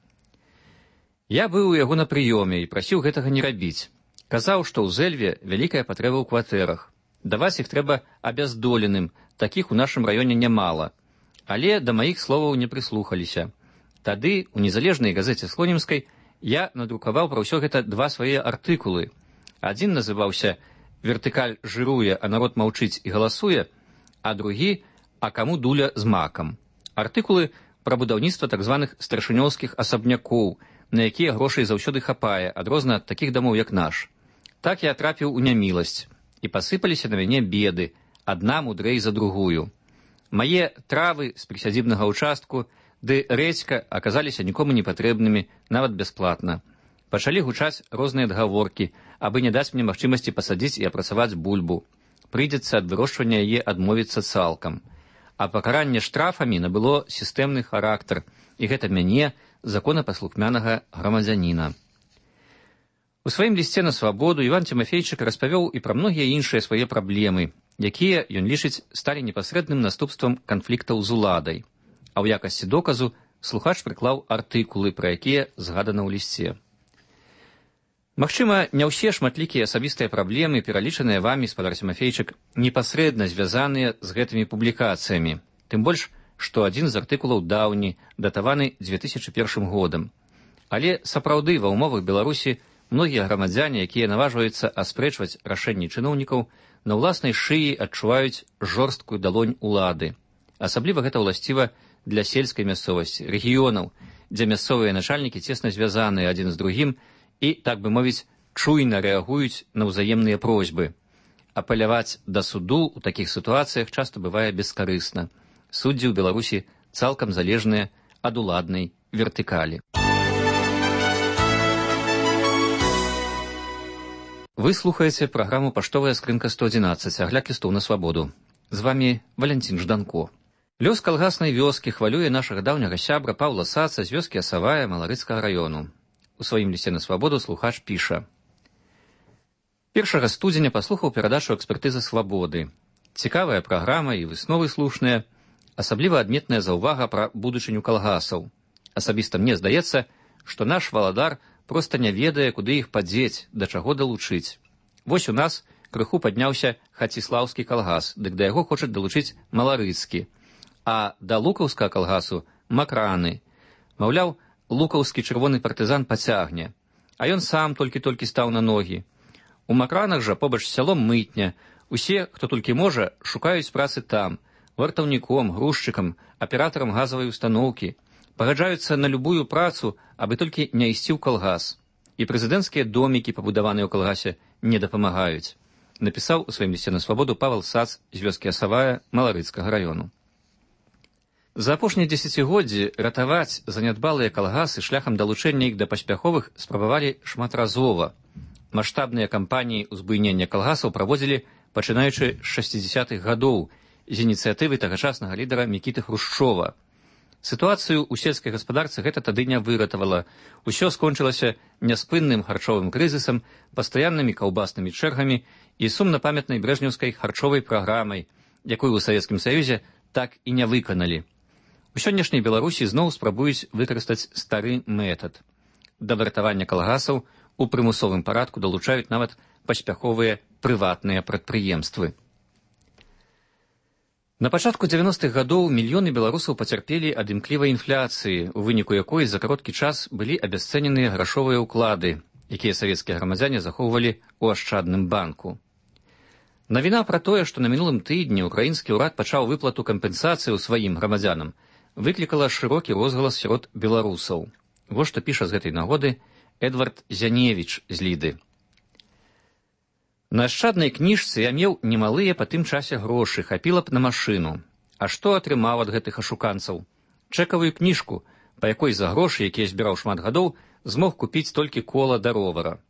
«Я быў у яго на прыёме і прасіў гэтага не рабіць. Казаў, што ў Зэльве вялікая патрэба ў кватэрах. Даваць іх трэба абяздоленым, такіх у нашым раёне нямала. Але да маіх словаў не прыслухаліся. Тады у незалежнай газеце Слонімскай я надрукаваў пра ўсё гэта два свае артыкулы. Адзін называўся «Вертыкаль жыруе, а народ маўчыць і галасуе», а другі «А каму дуля з макам». Артыкулы пра будаўніцтва так званых старшынёўскіх асабнякоў, на якія грошай заўсёды хапае, адрозна ад такіх дамоў, як наш. Так я трапіў у няміласць, і пасыпаліся на мяне беды, адна мудрэй за другую. Мае травы з прысядзібнага ўчастку ды рэдзька аказаліся нікому не патрэбнымі, нават бясплатна. Пачалі гучаць розныя адгаворкі, абы не даць мне магчымасці пасадзіць і апрацаваць бульбу. Прыйдзецца ад вырошчвання яе адмовіцца цалкам. А пакаранне штрафамі набыло сістэмны характар, і гэта мяне, законапаслухмянага грамадзяніна». У сваім лісце на свабоду Іван Тимофейчык распавёў і пра многія іншыя свае праблемы, якія, ён лічыць, сталі непасрэдным наступствам канфліктаў з уладай. А ў якасці доказу слухач прыклаў артыкулы, пра якія згадана ў лісце. Магчыма, не ўсе шматлікія асабістыя праблемы, пералічаныя вамі, спадар Тимофейчык, непасрэдна звязаныя з гэтымі публікацыямі. Тым больш, што адзін з артыкулаў даўні, датаваны 2001 годам. Але сапраўды ва ўмовах Беларусі многія грамадзяне, якія наважваюцца аспрэчваць рашэнні чыноўнікаў, на ўласнай шыі адчуваюць жорсткую далонь улады. Асабліва гэта ўласціва для сельскай мясцовасці, рэгіёнаў, дзе мясцовыя начальнікі цесна звязаныя адзін з другім і, так бы мовіць, чуйна рэагуюць на ўзаемныя просьбы. Апеляваць да суду ў такіх сітуацыях часта бывае бескарысна. Суддзі ў Беларусі цалкам залежныя ад уладнай вертыкалі. Вы слухаеце праграму «Паштовая скрынка 111», агляд лістоў на свабоду. З вамі Валянцін Жданко. Лёс калгаснай вёскі хвалюе нашага даўняга сябра Паўла Саца з вёскі Асавая Маларыцкага раёну. У сваім лісце на свабоду слухач піша: 1 студзеня паслухаў перадачу экспертызы свабоды. Цікавая праграма і высновы слушныя, асабліва адметная заўвага пра будучыню калгасаў. Асабіста мне здаецца, што наш валадар проста не ведае, куды іх падзець, да чаго далучыць. Вось у нас крыху падняўся Хаціслаўскі калгас, дык да яго хочуць далучыць Маларыцкі, а да лукаўскага калгасу макраны. Маўляў, лукаўскі чырвоны партызан пацягне, а ён сам толькі-толькі стаў на ногі. У макранах жа побач з сялом мытня. Усе, хто толькі можа, шукаюць працы там, вартаўніком, грузчыкам, аператарам газавай устаноўкі. Пагаджаюцца на любую працу, абы толькі не ісці ў калгас. І прэзідэнцкія домікі, пабудаваныя ў калгасе, не дапамагаюць. Напісаў у сваім лісце на свабоду Павел Сац з вёскі Асавая Маларыцкага раёну. За апошнія дзесяцігоддзі ратаваць занядбалыя калгасы шляхам далучэння іх да паспяховых спрабавалі шматразова. Маштабныя кампаніі ўзбуйнення калгасаў праводзілі пачынаючы з 60-х гадоў, з ініцыятывы тагачаснага лідара Мікіты Хрушчова. Сітуацыю ў сельскай гаспадарцы гэта тады не выратавала. Усё скончылася няспынным харчовым крызісам, пастаяннымі каўбаснымі чэргамі і сумна памятнай брэжнеўскай харчовай праграмай, якую ў Савецкім Саюзе так і не выканалі. У сённяшняй Беларусі зноў спрабуюць выкарыстаць стары метад. Да выратавання калгасаў у прымусовым парадку далучаюць нават паспяховыя прыватныя прадпрыемствы. На пачатку 90-х гадоў мільёны беларусаў пацярпелі ад імклівай інфляцыі, у выніку якой за кароткі час былі абясцэненыя грашовыя ўклады, якія савецкія грамадзяне захоўвалі ў ашчадным банку. Навіна пра тое, што на мінулым тыдні ўкраінскі ўрад пачаў выплату кампенсацыі сваім грамадзянам, выклікала шырокі розгалас сярод беларусаў. Вось што піша з гэтай нагоды Эдвард Зяневіч з Ліды. На ашчаднай кніжцы я меў немалыя па тым часе грошы, хапіла б на машыну. А што атрымаў ад гэтых ашуканцаў? Чэкавую кніжку, па якой за грошы, якія збіраў шмат гадоў, змог купіць толькі кола да ровара.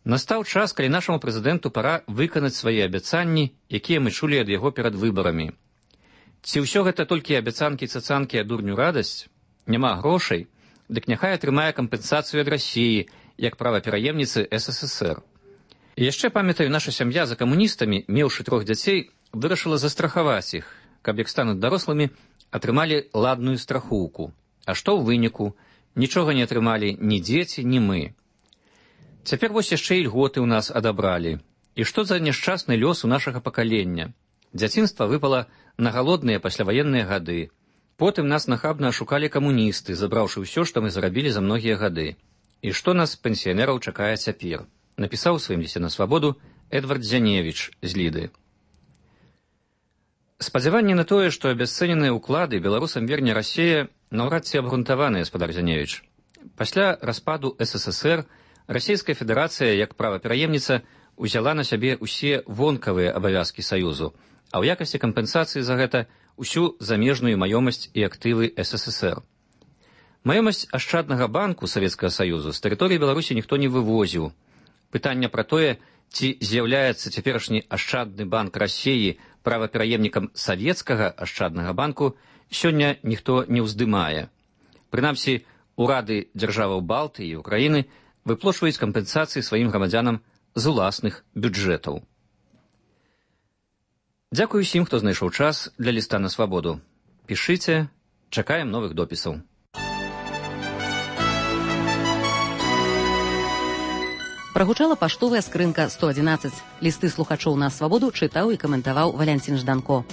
Настаў час, калі нашаму прэзідэнту пара выканаць свае абяцанні, якія мы чулі ад яго перад выбарамі. Ці ўсё гэта толькі абяцанкі-цацанкі, а дурню радасць? Няма грошай? Дык няхай атрымае кампенсацыю ад Расіі, як правапераемніцы СССР. І яшчэ, памятаю, наша сям'я за камуністамі, меўшы 3 дзяцей, вырашыла застрахаваць іх, каб як стануць дарослымі, атрымалі ладную страхоўку. А што ў выніку? Нічога не атрымалі ні дзеці, ні мы. Цяпер вось яшчэ і льготы ў нас адабралі. І што за няшчасны лёс у нашага пакалення? Дзяцінства выпала на галодныя пасляваенныя гады. Потым нас нахабна ашукалі камуністы, забраўшы ўсё, што мы зарабілі за многія гады. І што нас, пенсіянераў, чакае цяпер? Напісаў у сваім лісце на свабоду Эдвард Зяневіч з Ліды. Спадзяванне на тое, што абясцэненыя ўклады беларусам верне Расія, наўрад ці абгрунтаваны, гаспадар Зяневіч. Пасля распаду СССР Расійская Федэрацыя, як правапераемніца, узяла на сябе ўсе вонкавыя абавязкі Саюзу, а ў якасці кампенсацыі за гэта ўсю замежную маёмасць і актывы СССР. Маёмасць ашчаднага банку Савецкага Саюзу з тэрыторыі Беларусі ніхто не вывозіў. Пытанне пра тое, ці з'яўляецца цяперашні ашчадны банк Расіі правапераемнікам савецкага ашчаднага банку, сёння ніхто не ўздымае. Прынамсі, урады дзяржаваў Балтыі і Украіны выплочваюць кампенсацыі сваім грамадзянам з уласных бюджэтаў. Дзякую усім, хто знайшоў час для ліста на свабоду. Пішыце, чакаем новых допісаў. Прагучала паштовая скрынка 111. Лісты слухачоў на свабоду чытаў і каментаваў Валянцін Жданко.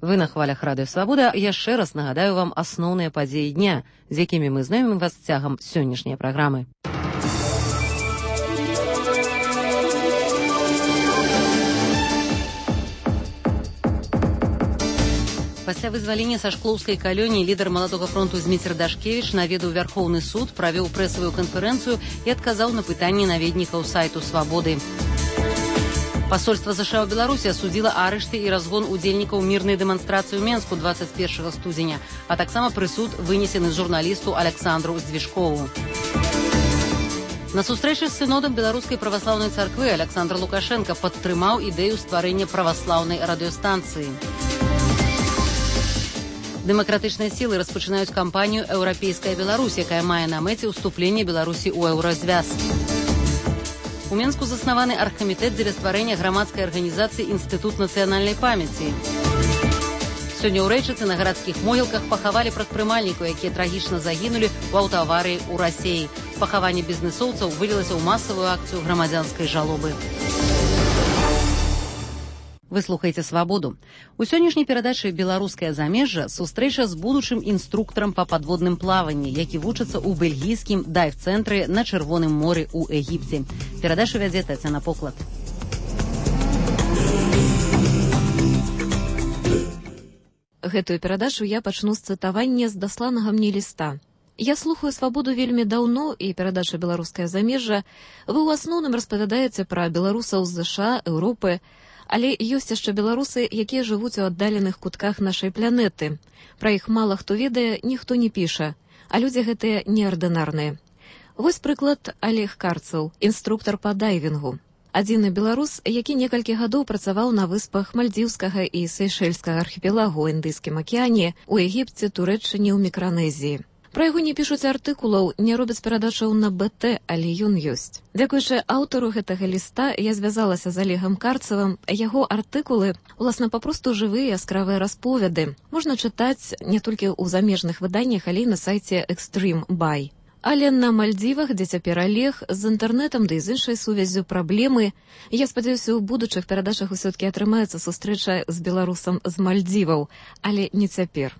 Вы на хвалях радыё Свабода. Яшчэ раз нагадаю вам асноўныя падзеі дня, з якімі мы знаёмім вас цягам сённяшняй праграмы. Пасля вызвалення са шклоўскай калоніі лідар маладога фронту Зміцер Дашкевіч наведаў Вярхоўны суд, правёў прэсавую канферэнцыю і адказаў на пытанні наведнікаў сайту Свабоды. Пасольства США ў Беларусі асудзіла арышты і разгон удзельнікаў мірнай дэманстрацыі ў Менску 21 студзеня, а таксама прысуд вынесены журналісту Александру Здвижкову. На сустрэчы з сынодам Беларускай праваслаўнай царквы Александр Лукашенко падтрымаў ідэю стварэння праваслаўнай радыёстанцыі. Дэмакратычныя сілы распачынаюць кампанію «Еўрапейская Беларусь», якая мае на мэце ўступлення Беларусі ў еўразвяз. У Менску заснаваны аргкамітэт дзеля стварэння грамадскай арганізацыі «Інстытут нацыянальнай памяці». Сёння ў Рэчыцы на гарадскіх могілках пахавалі прадпрымальнікаў, якія трагічна загінулі ў аўтааварыі ў Расіі. Пахаванне бізнэсоўцаў вылілася ў масавую акцыю грамадзянскай жалобы. Вы слухаеце «Свабоду». У сённяшняй перадачы «Беларускае замежжа» сустрэча з будучым інструктарам па падводным плаванні, які вучыцца ў бельгійскім дайв-цэнтры на Чырвоным моры ў Егіпце. Перадачу вядзе Тацяна Поклад. Гэтую перадачу я пачну з цытавання з дасланага мне ліста. Я слухаю «Свабоду» вельмі даўно, і перадача «Беларускае замежжа» вы ў асноўным распавядаеце пра беларусаў з ЗША, Еўропы, але ёсць яшчэ беларусы, якія жывуць у аддаленых кутках нашай планеты. Пра іх мала хто ведае, ніхто не піша, а людзі гэтыя неардынарныя. Вось прыклад Олег Карцаў, інструктар па дайвінгу. Адзіны беларус, які некалькі гадоў працаваў на выспах Мальдзіўскага і Сейшэльскага архіпелагу ў Індыйскім акіяне, у Егіпце, Турэччыне, ў Мікранезіі. Пра яго не пішуць артыкулаў, не робяць перадачаў на БТ, але ён ёсць. Дзякуючы аўтару гэтага ліста я звязалася з Олегам Карцевым. Яго артыкулы, уласна, папросту жывыя, яскравыя расповеды. Можна чытаць не толькі ў замежных выданнях, але і на сайце Extreme Buy. Але на Мальдзівах, дзе цяпер Олег, з інтэрнэтам, ды і з іншай сувяззю праблемы. Я спадзяюся, у будучых перадачах усё-ткі атрымаецца сустрэча з беларусам з Мальдзіваў, але не цяпер.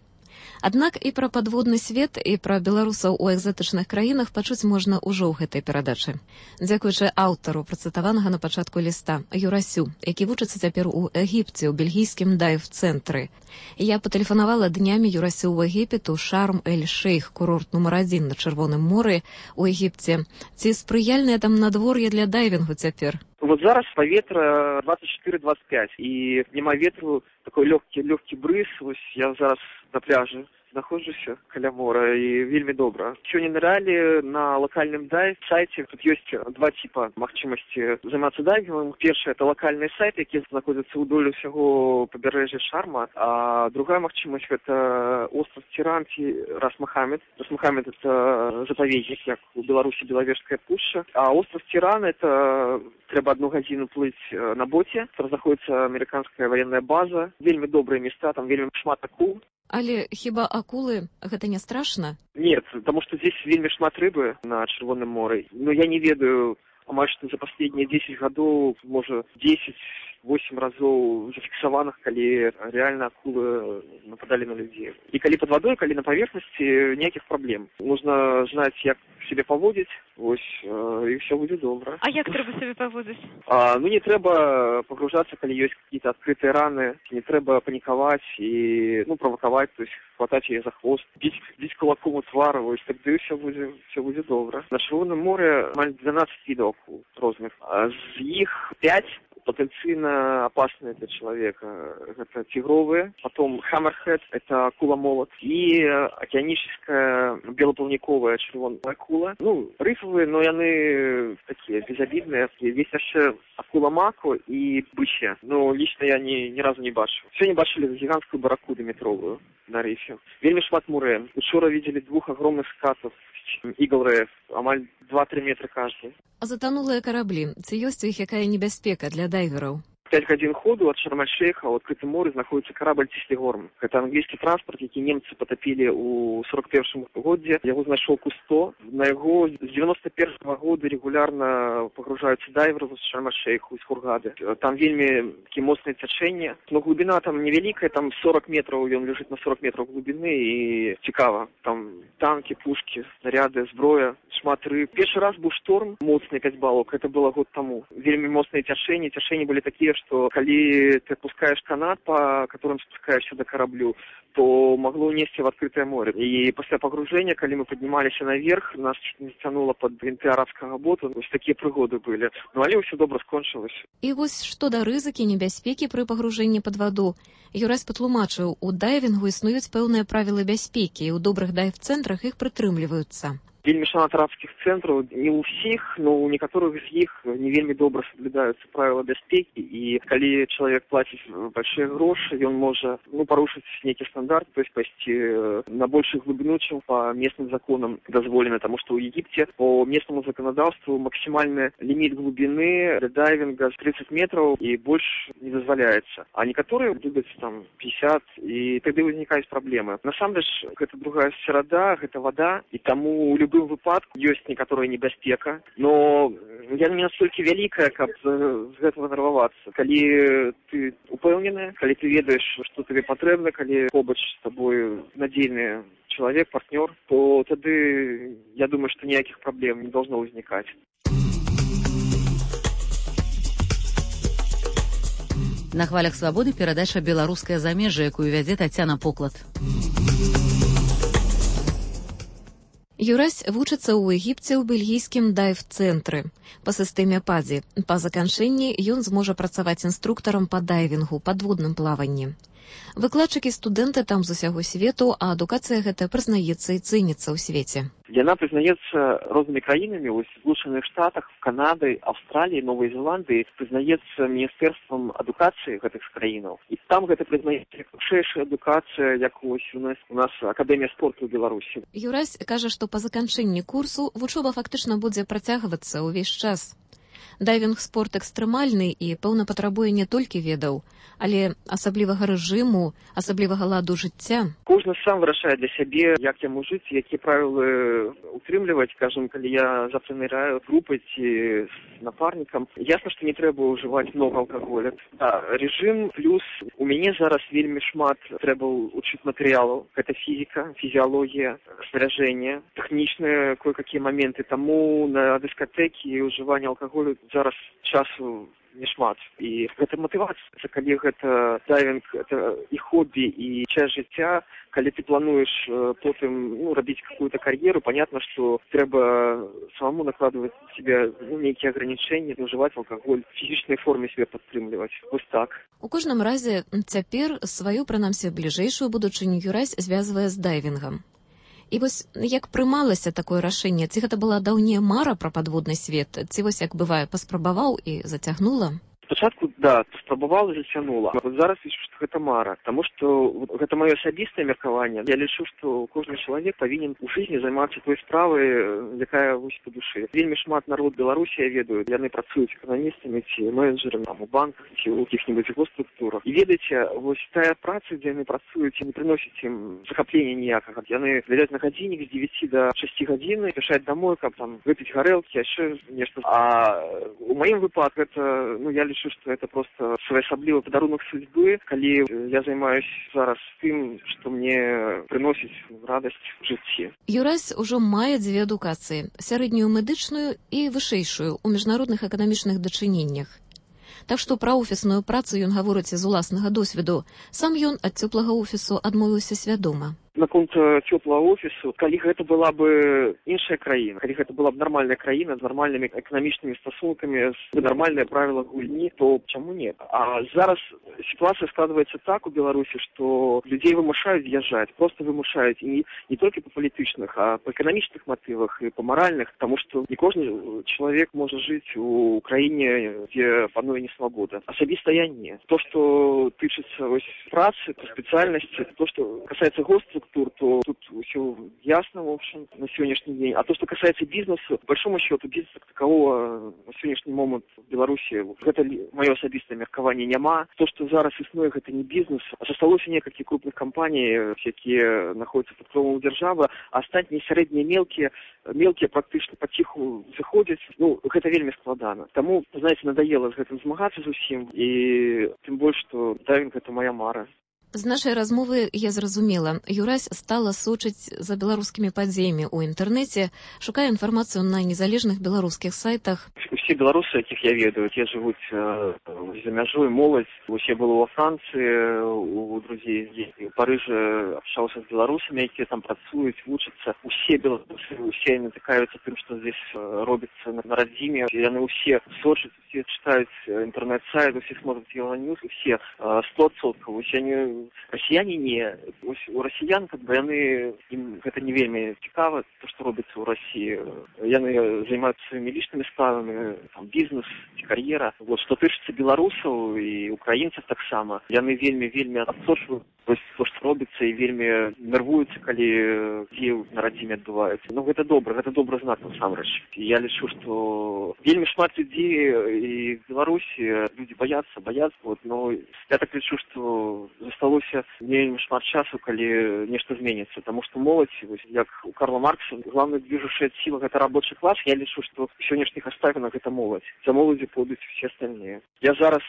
Аднак і пра падводны свет, і пра беларусаў у экзатычных краінах пачуць можна ўжо ў гэтай перадачы. Дзякуючы аўтару, працытаванага на пачатку ліста, Юрасю, які вучыцца цяпер у Егіпце, у бельгійскім дайв-цэнтры. Я патэлефанавала днямі Юрасю ў Егіпет, у Шарм-эль-Шейх, курорт нумар 1 на Чырвоным моры у Егіпце. Ці спрыяльнае там надвор'е для дайвінгу цяпер? Вот зараз паветра 24-25, і няма ветру, такой лёгкі брыз. Вось я зараз на пляжы знаходжуся каля мора, і вельмі добра. Сёння ныралі на локальным дайв-сайце. Тут ёсць два типа магчымасці займацца дайвінгом. Першае — это локальныя сайты, якія знаходзяцца ўдоль усяго пабярэжжя Шарма. А другая магчымасць — это остров Тиран ці Рас Мохаммед. Рас Мохаммед — это запаведнік, як у Беларусі Белавежская пушча. А остров Тиран — это трэба 1 гадзіну плыць на боце. Там знаходзіцца амерыканская военная база. Вельмі добрыя места, там вельмі шмат акул. Але хіба акулы гэта не страшна? Нет, потому что здесь вельмі шмат рыбы на Чырвоным моры. Но я не ведаю, амаль што за последние 10 гадоў, можа 10-8 разоў зафіксаваных, калі реально акулы нападали на людей. И калі под водой, калі на поверхности, никаких проблем. Нужно знать, як себе поводить, ось, и все будет добро. А як треба себе поводить? Ну, не треба погружаться, коли есть какие-то открытые раны, не треба паниковать и, провоковать, то есть хватать ее за хвост, бить кулаком у твара, ось, тогда все будет добро. На Чырвоным море 12 видов акул разных, а з их 5 потенциально опасные для человека. Это тигровые, потом хаммерхед, это акула-молот, и океаническая белоплавниковая червоная акула. Рифовые, но они такие безобидные. Есть еще акула-мако и бычья. Но лично я ни разу не бачу. Сегодня бачили гигантскую барракуду метровую на рифе. Вельмі шмат мурен. Учора видели 2 огромных скатов. Eagle Reef, амаль 2-3 метра каждый. А затонулыя караблі, ці ёсць у іх якая небяспека для дайвераў? 5 гадзін ходу от Шарм-эль-Шейха ў адкрытым моры знаходіцца карабль Тислигорм. Это англійскі транспорт, які немцы потопили у 41 годзе. Яго знайшоў Кусто. На яго з 91 года регулярно погружаюцца дайверы з Шарм-эль-Шейху, з Хургады. Там вельмі такие моцныя цячэнні. Но глубина там невялікая, там 40 метров, ён лежит на 40 метров глубины, і цікава. Там танки, пушки, снаряды, зброя, шмат рыб. Першы раз быў шторм, моцны 5 балок, это было год тому. Вельмі моцныя цячэнні былі такія, что коли ты отпускаешь канат, по которым спускаешься до кораблю, то могло унести в открытое море. И после погружения, когда мы поднимались наверх, нас чуть не затянуло под винты арабского бота. Вот такие пригоды были. Але все добро скончилось. И вот что до рызыкі, небяспекі при погружении под воду. Юрась патлумачыў, у дайвінгу існуюць пэўныя правілы бяспекі, і ў добрых дайв-цэнтрах іх прытрымліваюцца. Вельмі шмат арабскіх цэнтраў, не ў усіх, но у некаторых з іх не вельмі добра соблюдаюцца правила бяспекі, і калі чалавек плаціць большие грошы, ён можа парушыць нейкі стандарт, то есть пойти на большую глубину, чем по местным законам дозволено, потому что у Египте по местному законодавству максимальный лимит глубины для дайвинга 30 метров и больше не дозволяется. А некоторые любят там 50, и тогда возникают проблемы. На самом деле, это другая среда, это вода, и тому у любым выпадку ёсць некаторая небяспека, но яна не настолькі вялікая, каб з гэтага нервавацца. Калі ты упэўнены, калі ты ведаеш, што табе патрэбна, калі побач з тобой надзейны чалавек, партнёр, то тады я думаю, што ніякіх праблем не должно возникать. На хвалях свабоды перадача «Беларускае замежжа», якую вядзе Тацяна Поклад. Юрась вучыцца ў Егіпце ў бельгійскім дайв-цэнтры. Па сістэме ПАДЗі. Па заканчэнні ён зможа працаваць інструктарам па дайвінгу, падводным плаванні. Выкладчыкі студэнты там з усяго свету, а адукацыя гэта прызнаецца і цэніцца ў свеце. Яна прызнаецца рознымі краінамі, вось в Злучаных Штатах, Канады, Аўстраліі, Новай Зеландыі, прызнаецца міністэрствам адукацыі гэтых краінаў. І там гэта прызнаецца як вышэйшая адукацыя, як вось у нас Акадэмія спорту ў Беларусі. Юрась кажа, што па заканчэнні курсу вучоба фактычна будзе працягвацца ўвесь час. Дайвінг-спорт экстрэмальны і, пэўна, патрабуе не толькі ведаў, але асаблівага рэжыму, асаблівага ладу жыцця. Кожны сам вырашае для сябе, як яму жыць, якія правілы утрымліваць, кажам, калі я завтра ныряю групай ці з напарнікам. Ясна, што не трэба ўжываць много алкаголя. Рэжым плюс у мяне зараз вельмі шмат трэба ўчыць матэрыялаў. Гэта фізіка, фізіялогія, снаряжэнне, тэхнічныя кое-какія моменты. Таму на дыскатэкі ўжыванне алкаголю зараз часу не шмат. І гэта матывацыя, калі гэта дайвінг, это і хобі, і часть жыцця, калі ты плануеш потым рабіць какую-то кар'еру, понятно, што трэба самому накладывать себе нейкія ограничения, ўжываць алкаголь, в фізічнай форме себе падтрымліваць. Вось так. У кожным разе цяпер сваю, прынамсі, бліжэйшую будучыню Юрась звязвае з дайвінгам. І вось як прымалася такое рашэнне? Ці гэта была даўняя мара пра падводны свет? Ці вось як бывае, паспрабаваў і зацягнула? Спачатку, да, спрабавала і зацягнула. Вот зараз лічу, што гэта мара, таму што гэта маё асабістае меркаванне. Я лічу, што кожны чалавек павінен у жыцці займацца той справай, якая вось па душы. Вельмі шмат народ Беларусі, я ведаю, яны працуюць эканамістамі ці менеджерамі там у банках ці ў якіх-небудзь госструктурах. І ведаеце, вось тая праца, дзе яны працуюць, не прыносіць ім захаплення ніякага. Яны глядзяць на гадзіннік з 9 до 6 гадзін, пішаць домой, каб там выпіць гарэлкі, яшчэ нешта. А у маім выпадку гэта, я лічу, што это просто своеасаблівы падарунак судьбы, калі я займаюсь зараз тым, што мне прыносіць радасць у жыцці. Юрась ужо мае дзве адукацыі: сярэднюю медычную і вышэйшую ў міжнародных эканамічных дачыненнях. Так што пра офісную працу ён гаворыць з уласнага досведу. Сам ён ад цёплага офісу адмовіўся свядома. Наконт цёплага офісу, калі гэта была бы іншая краіна, калі гэта была б нармальная краіна з нармальнымі эканамічнымі стасункамі, з нармальныя правілы гульні, то чаму не? А зараз сітуацыя складваецца так у Беларусі, што людзей вымушаюць з'язджаць, просто вымушаюць, і не толькі па палітычных, а па эканамічных матывах і па маральных, таму што не кожны чалавек можа жыць у краіне, дзе пануе несвабода. Асабіста я не. То, што тычыцца працы, то спецыяльнасці, то, што касаецца госструктур, то тут все ясно, в общем, на сегодняшний день. А то, что касается бизнеса, по большому счету, бизнеса как такового на сегодняшний момент в Беларуси, это мое особистое меркование няма. То, что зараз існує, это не бизнес. А засталося некалькі крупных компаний, якія находятся под кровом державы, а астатнія сярэднія мелкія практычна паціху заходзяць. Гэта вельмі складана. Таму, знаете, надоело з гэтым змагацца зусім, і тым больш, што дайвінг — гэта моя мара. З нашай размовы я зразумела, Юрась стала сочыць за беларускімі падзеямі ў інтэрнэце, шукае інфармацыю на незалежных беларускіх сайтах. Усе беларусы, якіх я ведаю, те жывуць за мяжой, моладзь. Я был во Франции, у друзей здесь, в Париже общался с белорусами, якія там працуюць, вучацца. Усе беларусы, усе натыкаюцца тым, што здесь робіцца на радзіме. Яны усе сочаць, усе читаюць інтэрнэт-сайт, усе смотрят Евроньюз, усе 100%. Расіяне не. У расіян, яны, ім гэта не вельмі цікава, то, што робіцца ў Расіі. Яны займаюцца сваімі лічнымі справамі, там, бізнес, кар'ера. Што тычыцца беларусаў і украінцаў таксама, яны вельмі адсочваюць то, што робіцца, і вельмі нервуюцца, калі дзеі на радзіме адбываюцца. Гэта добры знак насамрэч. Я лічу, што вельмі шмат людзей і в Беларусі людзі баяцца, но я так лічу, што засталося вельмі шмат часу, калі нешта зменіцца, таму што моладзь, як у Карла Маркса, главная движущая сила — гэта рабочий класс. Я лічу, што ў сённяшніх абставінах гэта моладзь. За моладзю пойдуць усе астальныя. Я зараз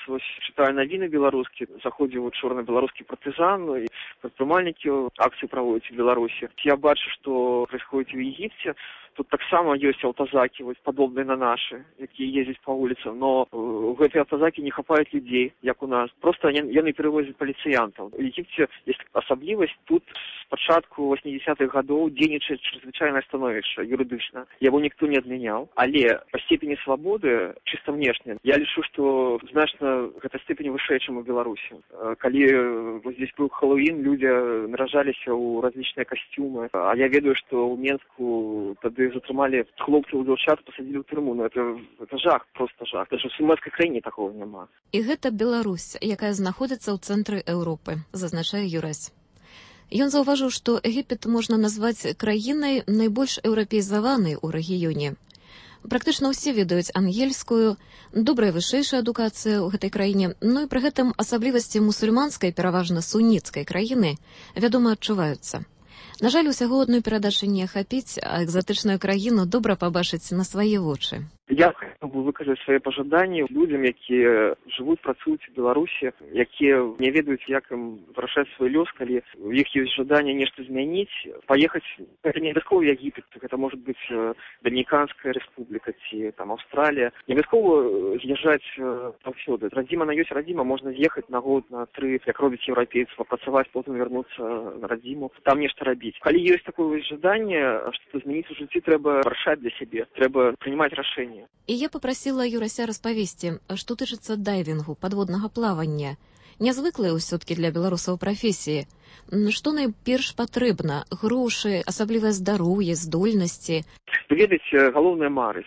читаю навіны беларускія, заходзіў у чорны беларускі партызан, і прадпрымальнікі акцыі праводзяць у Беларусі. Я бачу, што происходит в Египте. Тут таксама ёсць аўтазакі, вось падобныя на нашы, якія ездзяць па вуліцам, но гэтыя аўтазакі не хапаюць людзей, як у нас. Проста яны перавозяць паліцыянтаў. У Егіпце ёсць асаблівасць, тут з пачатку 80-х гадоў дзейнічае чрезвычайнае становішча юрыдычна. Яго ніхто не адмяняў, але па степені свабоды, чыста внешне, я лічу, што значна гэта степень вышэй, чым у Беларусі. Калі здесь быў Хэллоуін, людзі наражаліся ў различныя касцюмы, а я ведаю, што ў Менску тады затрымалі хлопцаў і дзяўчат, пасадзілі ў турму. Ну, это жах, просто жах. Даже в сумерскай краіне такого няма. І гэта Беларусь, якая знаходзіцца ў цэнтры Еўропы, зазначае Юрась. Ён заўважыў, што Егіпет можна назваць краінай найбольш еўрапеізаванай у рэгіёне. Практычна ўсе ведаюць ангельскую, добрая вышэйшая адукацыя ў гэтай краіне, ну і пры гэтым асаблівасці мусульманскай, пераважна суніцкай краіны, вядома, адчуваюцца. На жаль, усяго адной перадачы не ахапіць, а экзатычную краіну добра пабачыць на свае вочы. Я хотел бы выказаць свае пажаданні людзям, якія жывуць, працуюць у Беларусі, якія не ведаюць, як ім вырашаць свой лёс, калі у іх ёсць жаданне нешта змяніць, паехаць, гэта не абавязкова Егіпет, гэта можа быць Дамініканская рэспубліка ці там Аўстралія. Не абавязкова з'язджаць паўсюды. Радзіма на ёсць радзіма, можна з'ехаць на год, на 3, як робяць еўрапейцы, папрацаваць, потым вярнуцца на радзіму, там нешта рабіць. Калі ёсць такое жаданне, што змяніць у жыцці, трэба вырашаць для сябе, трэба прынимаць рашэнне. І я папрасіла Юрася распавесці, што тычыцца дайвінгу, падводнага плавання. Нязвыклая ўсё-ткі для беларусаў прафесіі. Што найперш патрэбна? Грошы, асаблівае здароўе, здольнасці? Вы ведаеце, галоўнае марыць.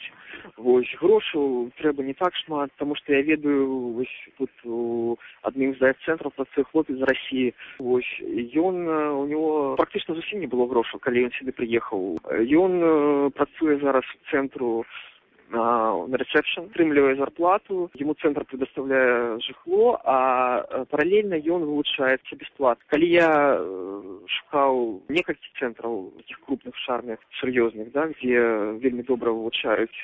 Вось грошаў трэба не так шмат, таму што я ведаю, вось тут у адным з дайв-цэнтраў працуе хлопец з Расіі. Вось ён, у него практычна зусім не было грошаў, калі ён сюды прыехаў. Ён працуе зараз у цэнтру на ресепшн, атрымлівае зарплату, ему центр предоставляе жыхло, а паралельна ён вылучаецца бесплатна. Калі я шукаў некалькі цэнтраў таких крупных шарных, сур'ёзных, да, дзе вельмі добра вылучаюць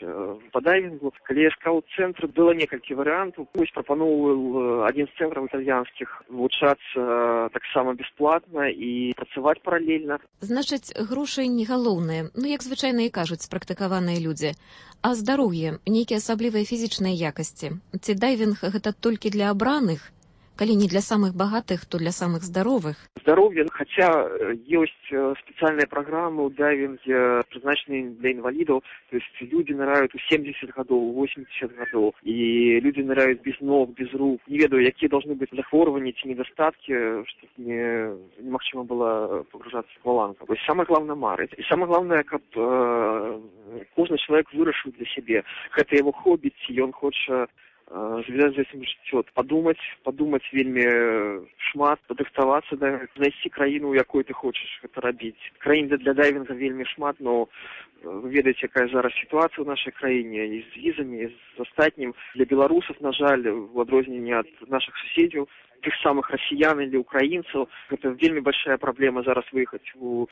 па дайвінгу, калі я шукаў цэнтр, было некалькі варыянтаў. Вось прапаноўваў адзін з цэнтраў італьянскіх вылучацца таксама бесплатна і працаваць паралельна. Значыць, грошы не галоўныя, ну як звычайна і кажуць спрактыкаваныя людзі. А здароўе, нейкія асаблівыя фізічныя якасці. Ці дайвінг гэта толькі для абраных? Калі не для самых багатых, то для самых здаровых. Здароўе, хаця ёсць спецыяльныя праграмы ў дайвінге, прызначаныя для інвалідаў, то есть людзі ныраюць у 70 гадоў, 80 гадоў, і людзі ныраюць без ног, без рук. Не ведаю, якія должны быць захворванні ці недастаткі, щоб немагчыма было погружацца в акваланг. Вось самае главное марыць. І самае главное, каб кожны чалавек вырашыў для сябе. Гэта яго хобі, ці ён хоча звязаць з этим жыццё, падумаць вельмі шмат, падрыхтавацца, да, знайсці краіну, у якой ты хочаш гэта рабіць. Краін для дайвінга вельмі шмат, но вы ведаеце, якая зараз сітуацыя ў нашай краіне і з візамі, і з астатнім. Для беларусаў, на жаль, у адрозненні ад нашых суседзяў, тых самых расіян или украінцаў, гэта вельмі большая праблема зараз выехаць.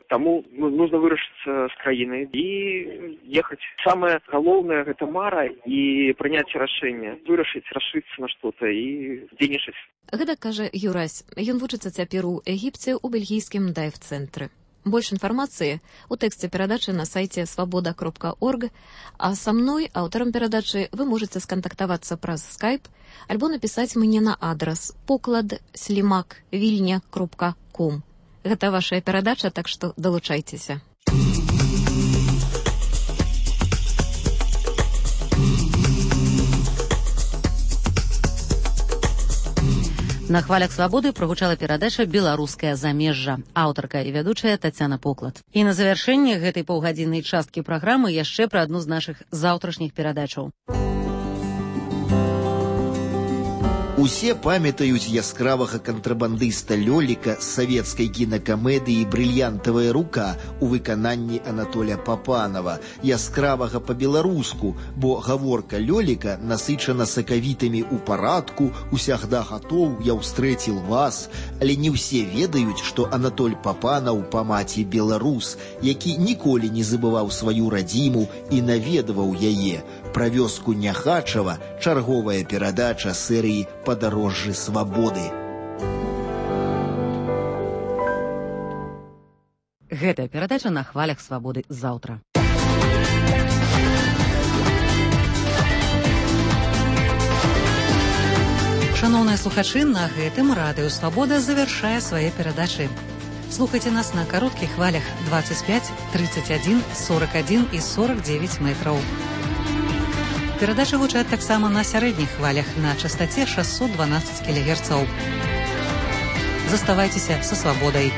Таму нужно вырашыцца з краінай і ехаць. Самае галоўнае гэта мара і прыняць рашэнне, вырашыць, рашыцца на што-то і дзейнічаць. Гэта кажа Юрась. Ён вучыцца цяпер у Егіпце ў бельгійскім дайв-цэнтры. Больш інфармацыі ў тэксце перадачы на сайце свабода.орг, а са мной, аўтарам перадачы, вы можаце скантактавацца праз Skype альбо напісаць мне на адрас poklad@vilnia.com. Гэта вашая перадача, так што далучайцеся. На хвалях свабоды прагучала перадача «Беларускае замежжа». Аўтарка і вядучая Тацяна Поклад. І на завяршэнне гэтай паўгадзіннай часткі праграмы яшчэ пра адну з нашых заўтрашніх перадачаў. Усе памятаюць яскравага кантрабандыста Лёліка з савецкай кінакамедыі «Брыльянтавая рука» у выкананні Анатоля Папанова, яскравага па-беларуску, бо гаворка Лёліка насычана сакавітамі ў парадку, усягда гатоў, я ўстрэціл вас, але не ўсе ведаюць, што Анатоль Папанаў па маці беларус, які ніколі не забываў сваю радзіму і наведваў яе. Пра вёску Няхачава чарговая перадача серыі «Падарожжы свабоды». Гэтая перадача на хвалях свабоды заўтра. Шаноўныя слухачы, на гэтым радыё «Свабода» завяршае свае перадачы. Слухайце нас на кароткіх хвалях 25, 31, 41 і 49 метраў. Перадачы гучаць таксама на сярэдніх хвалях на частаце 612 кГц. Заставайцеся са «Свабодай».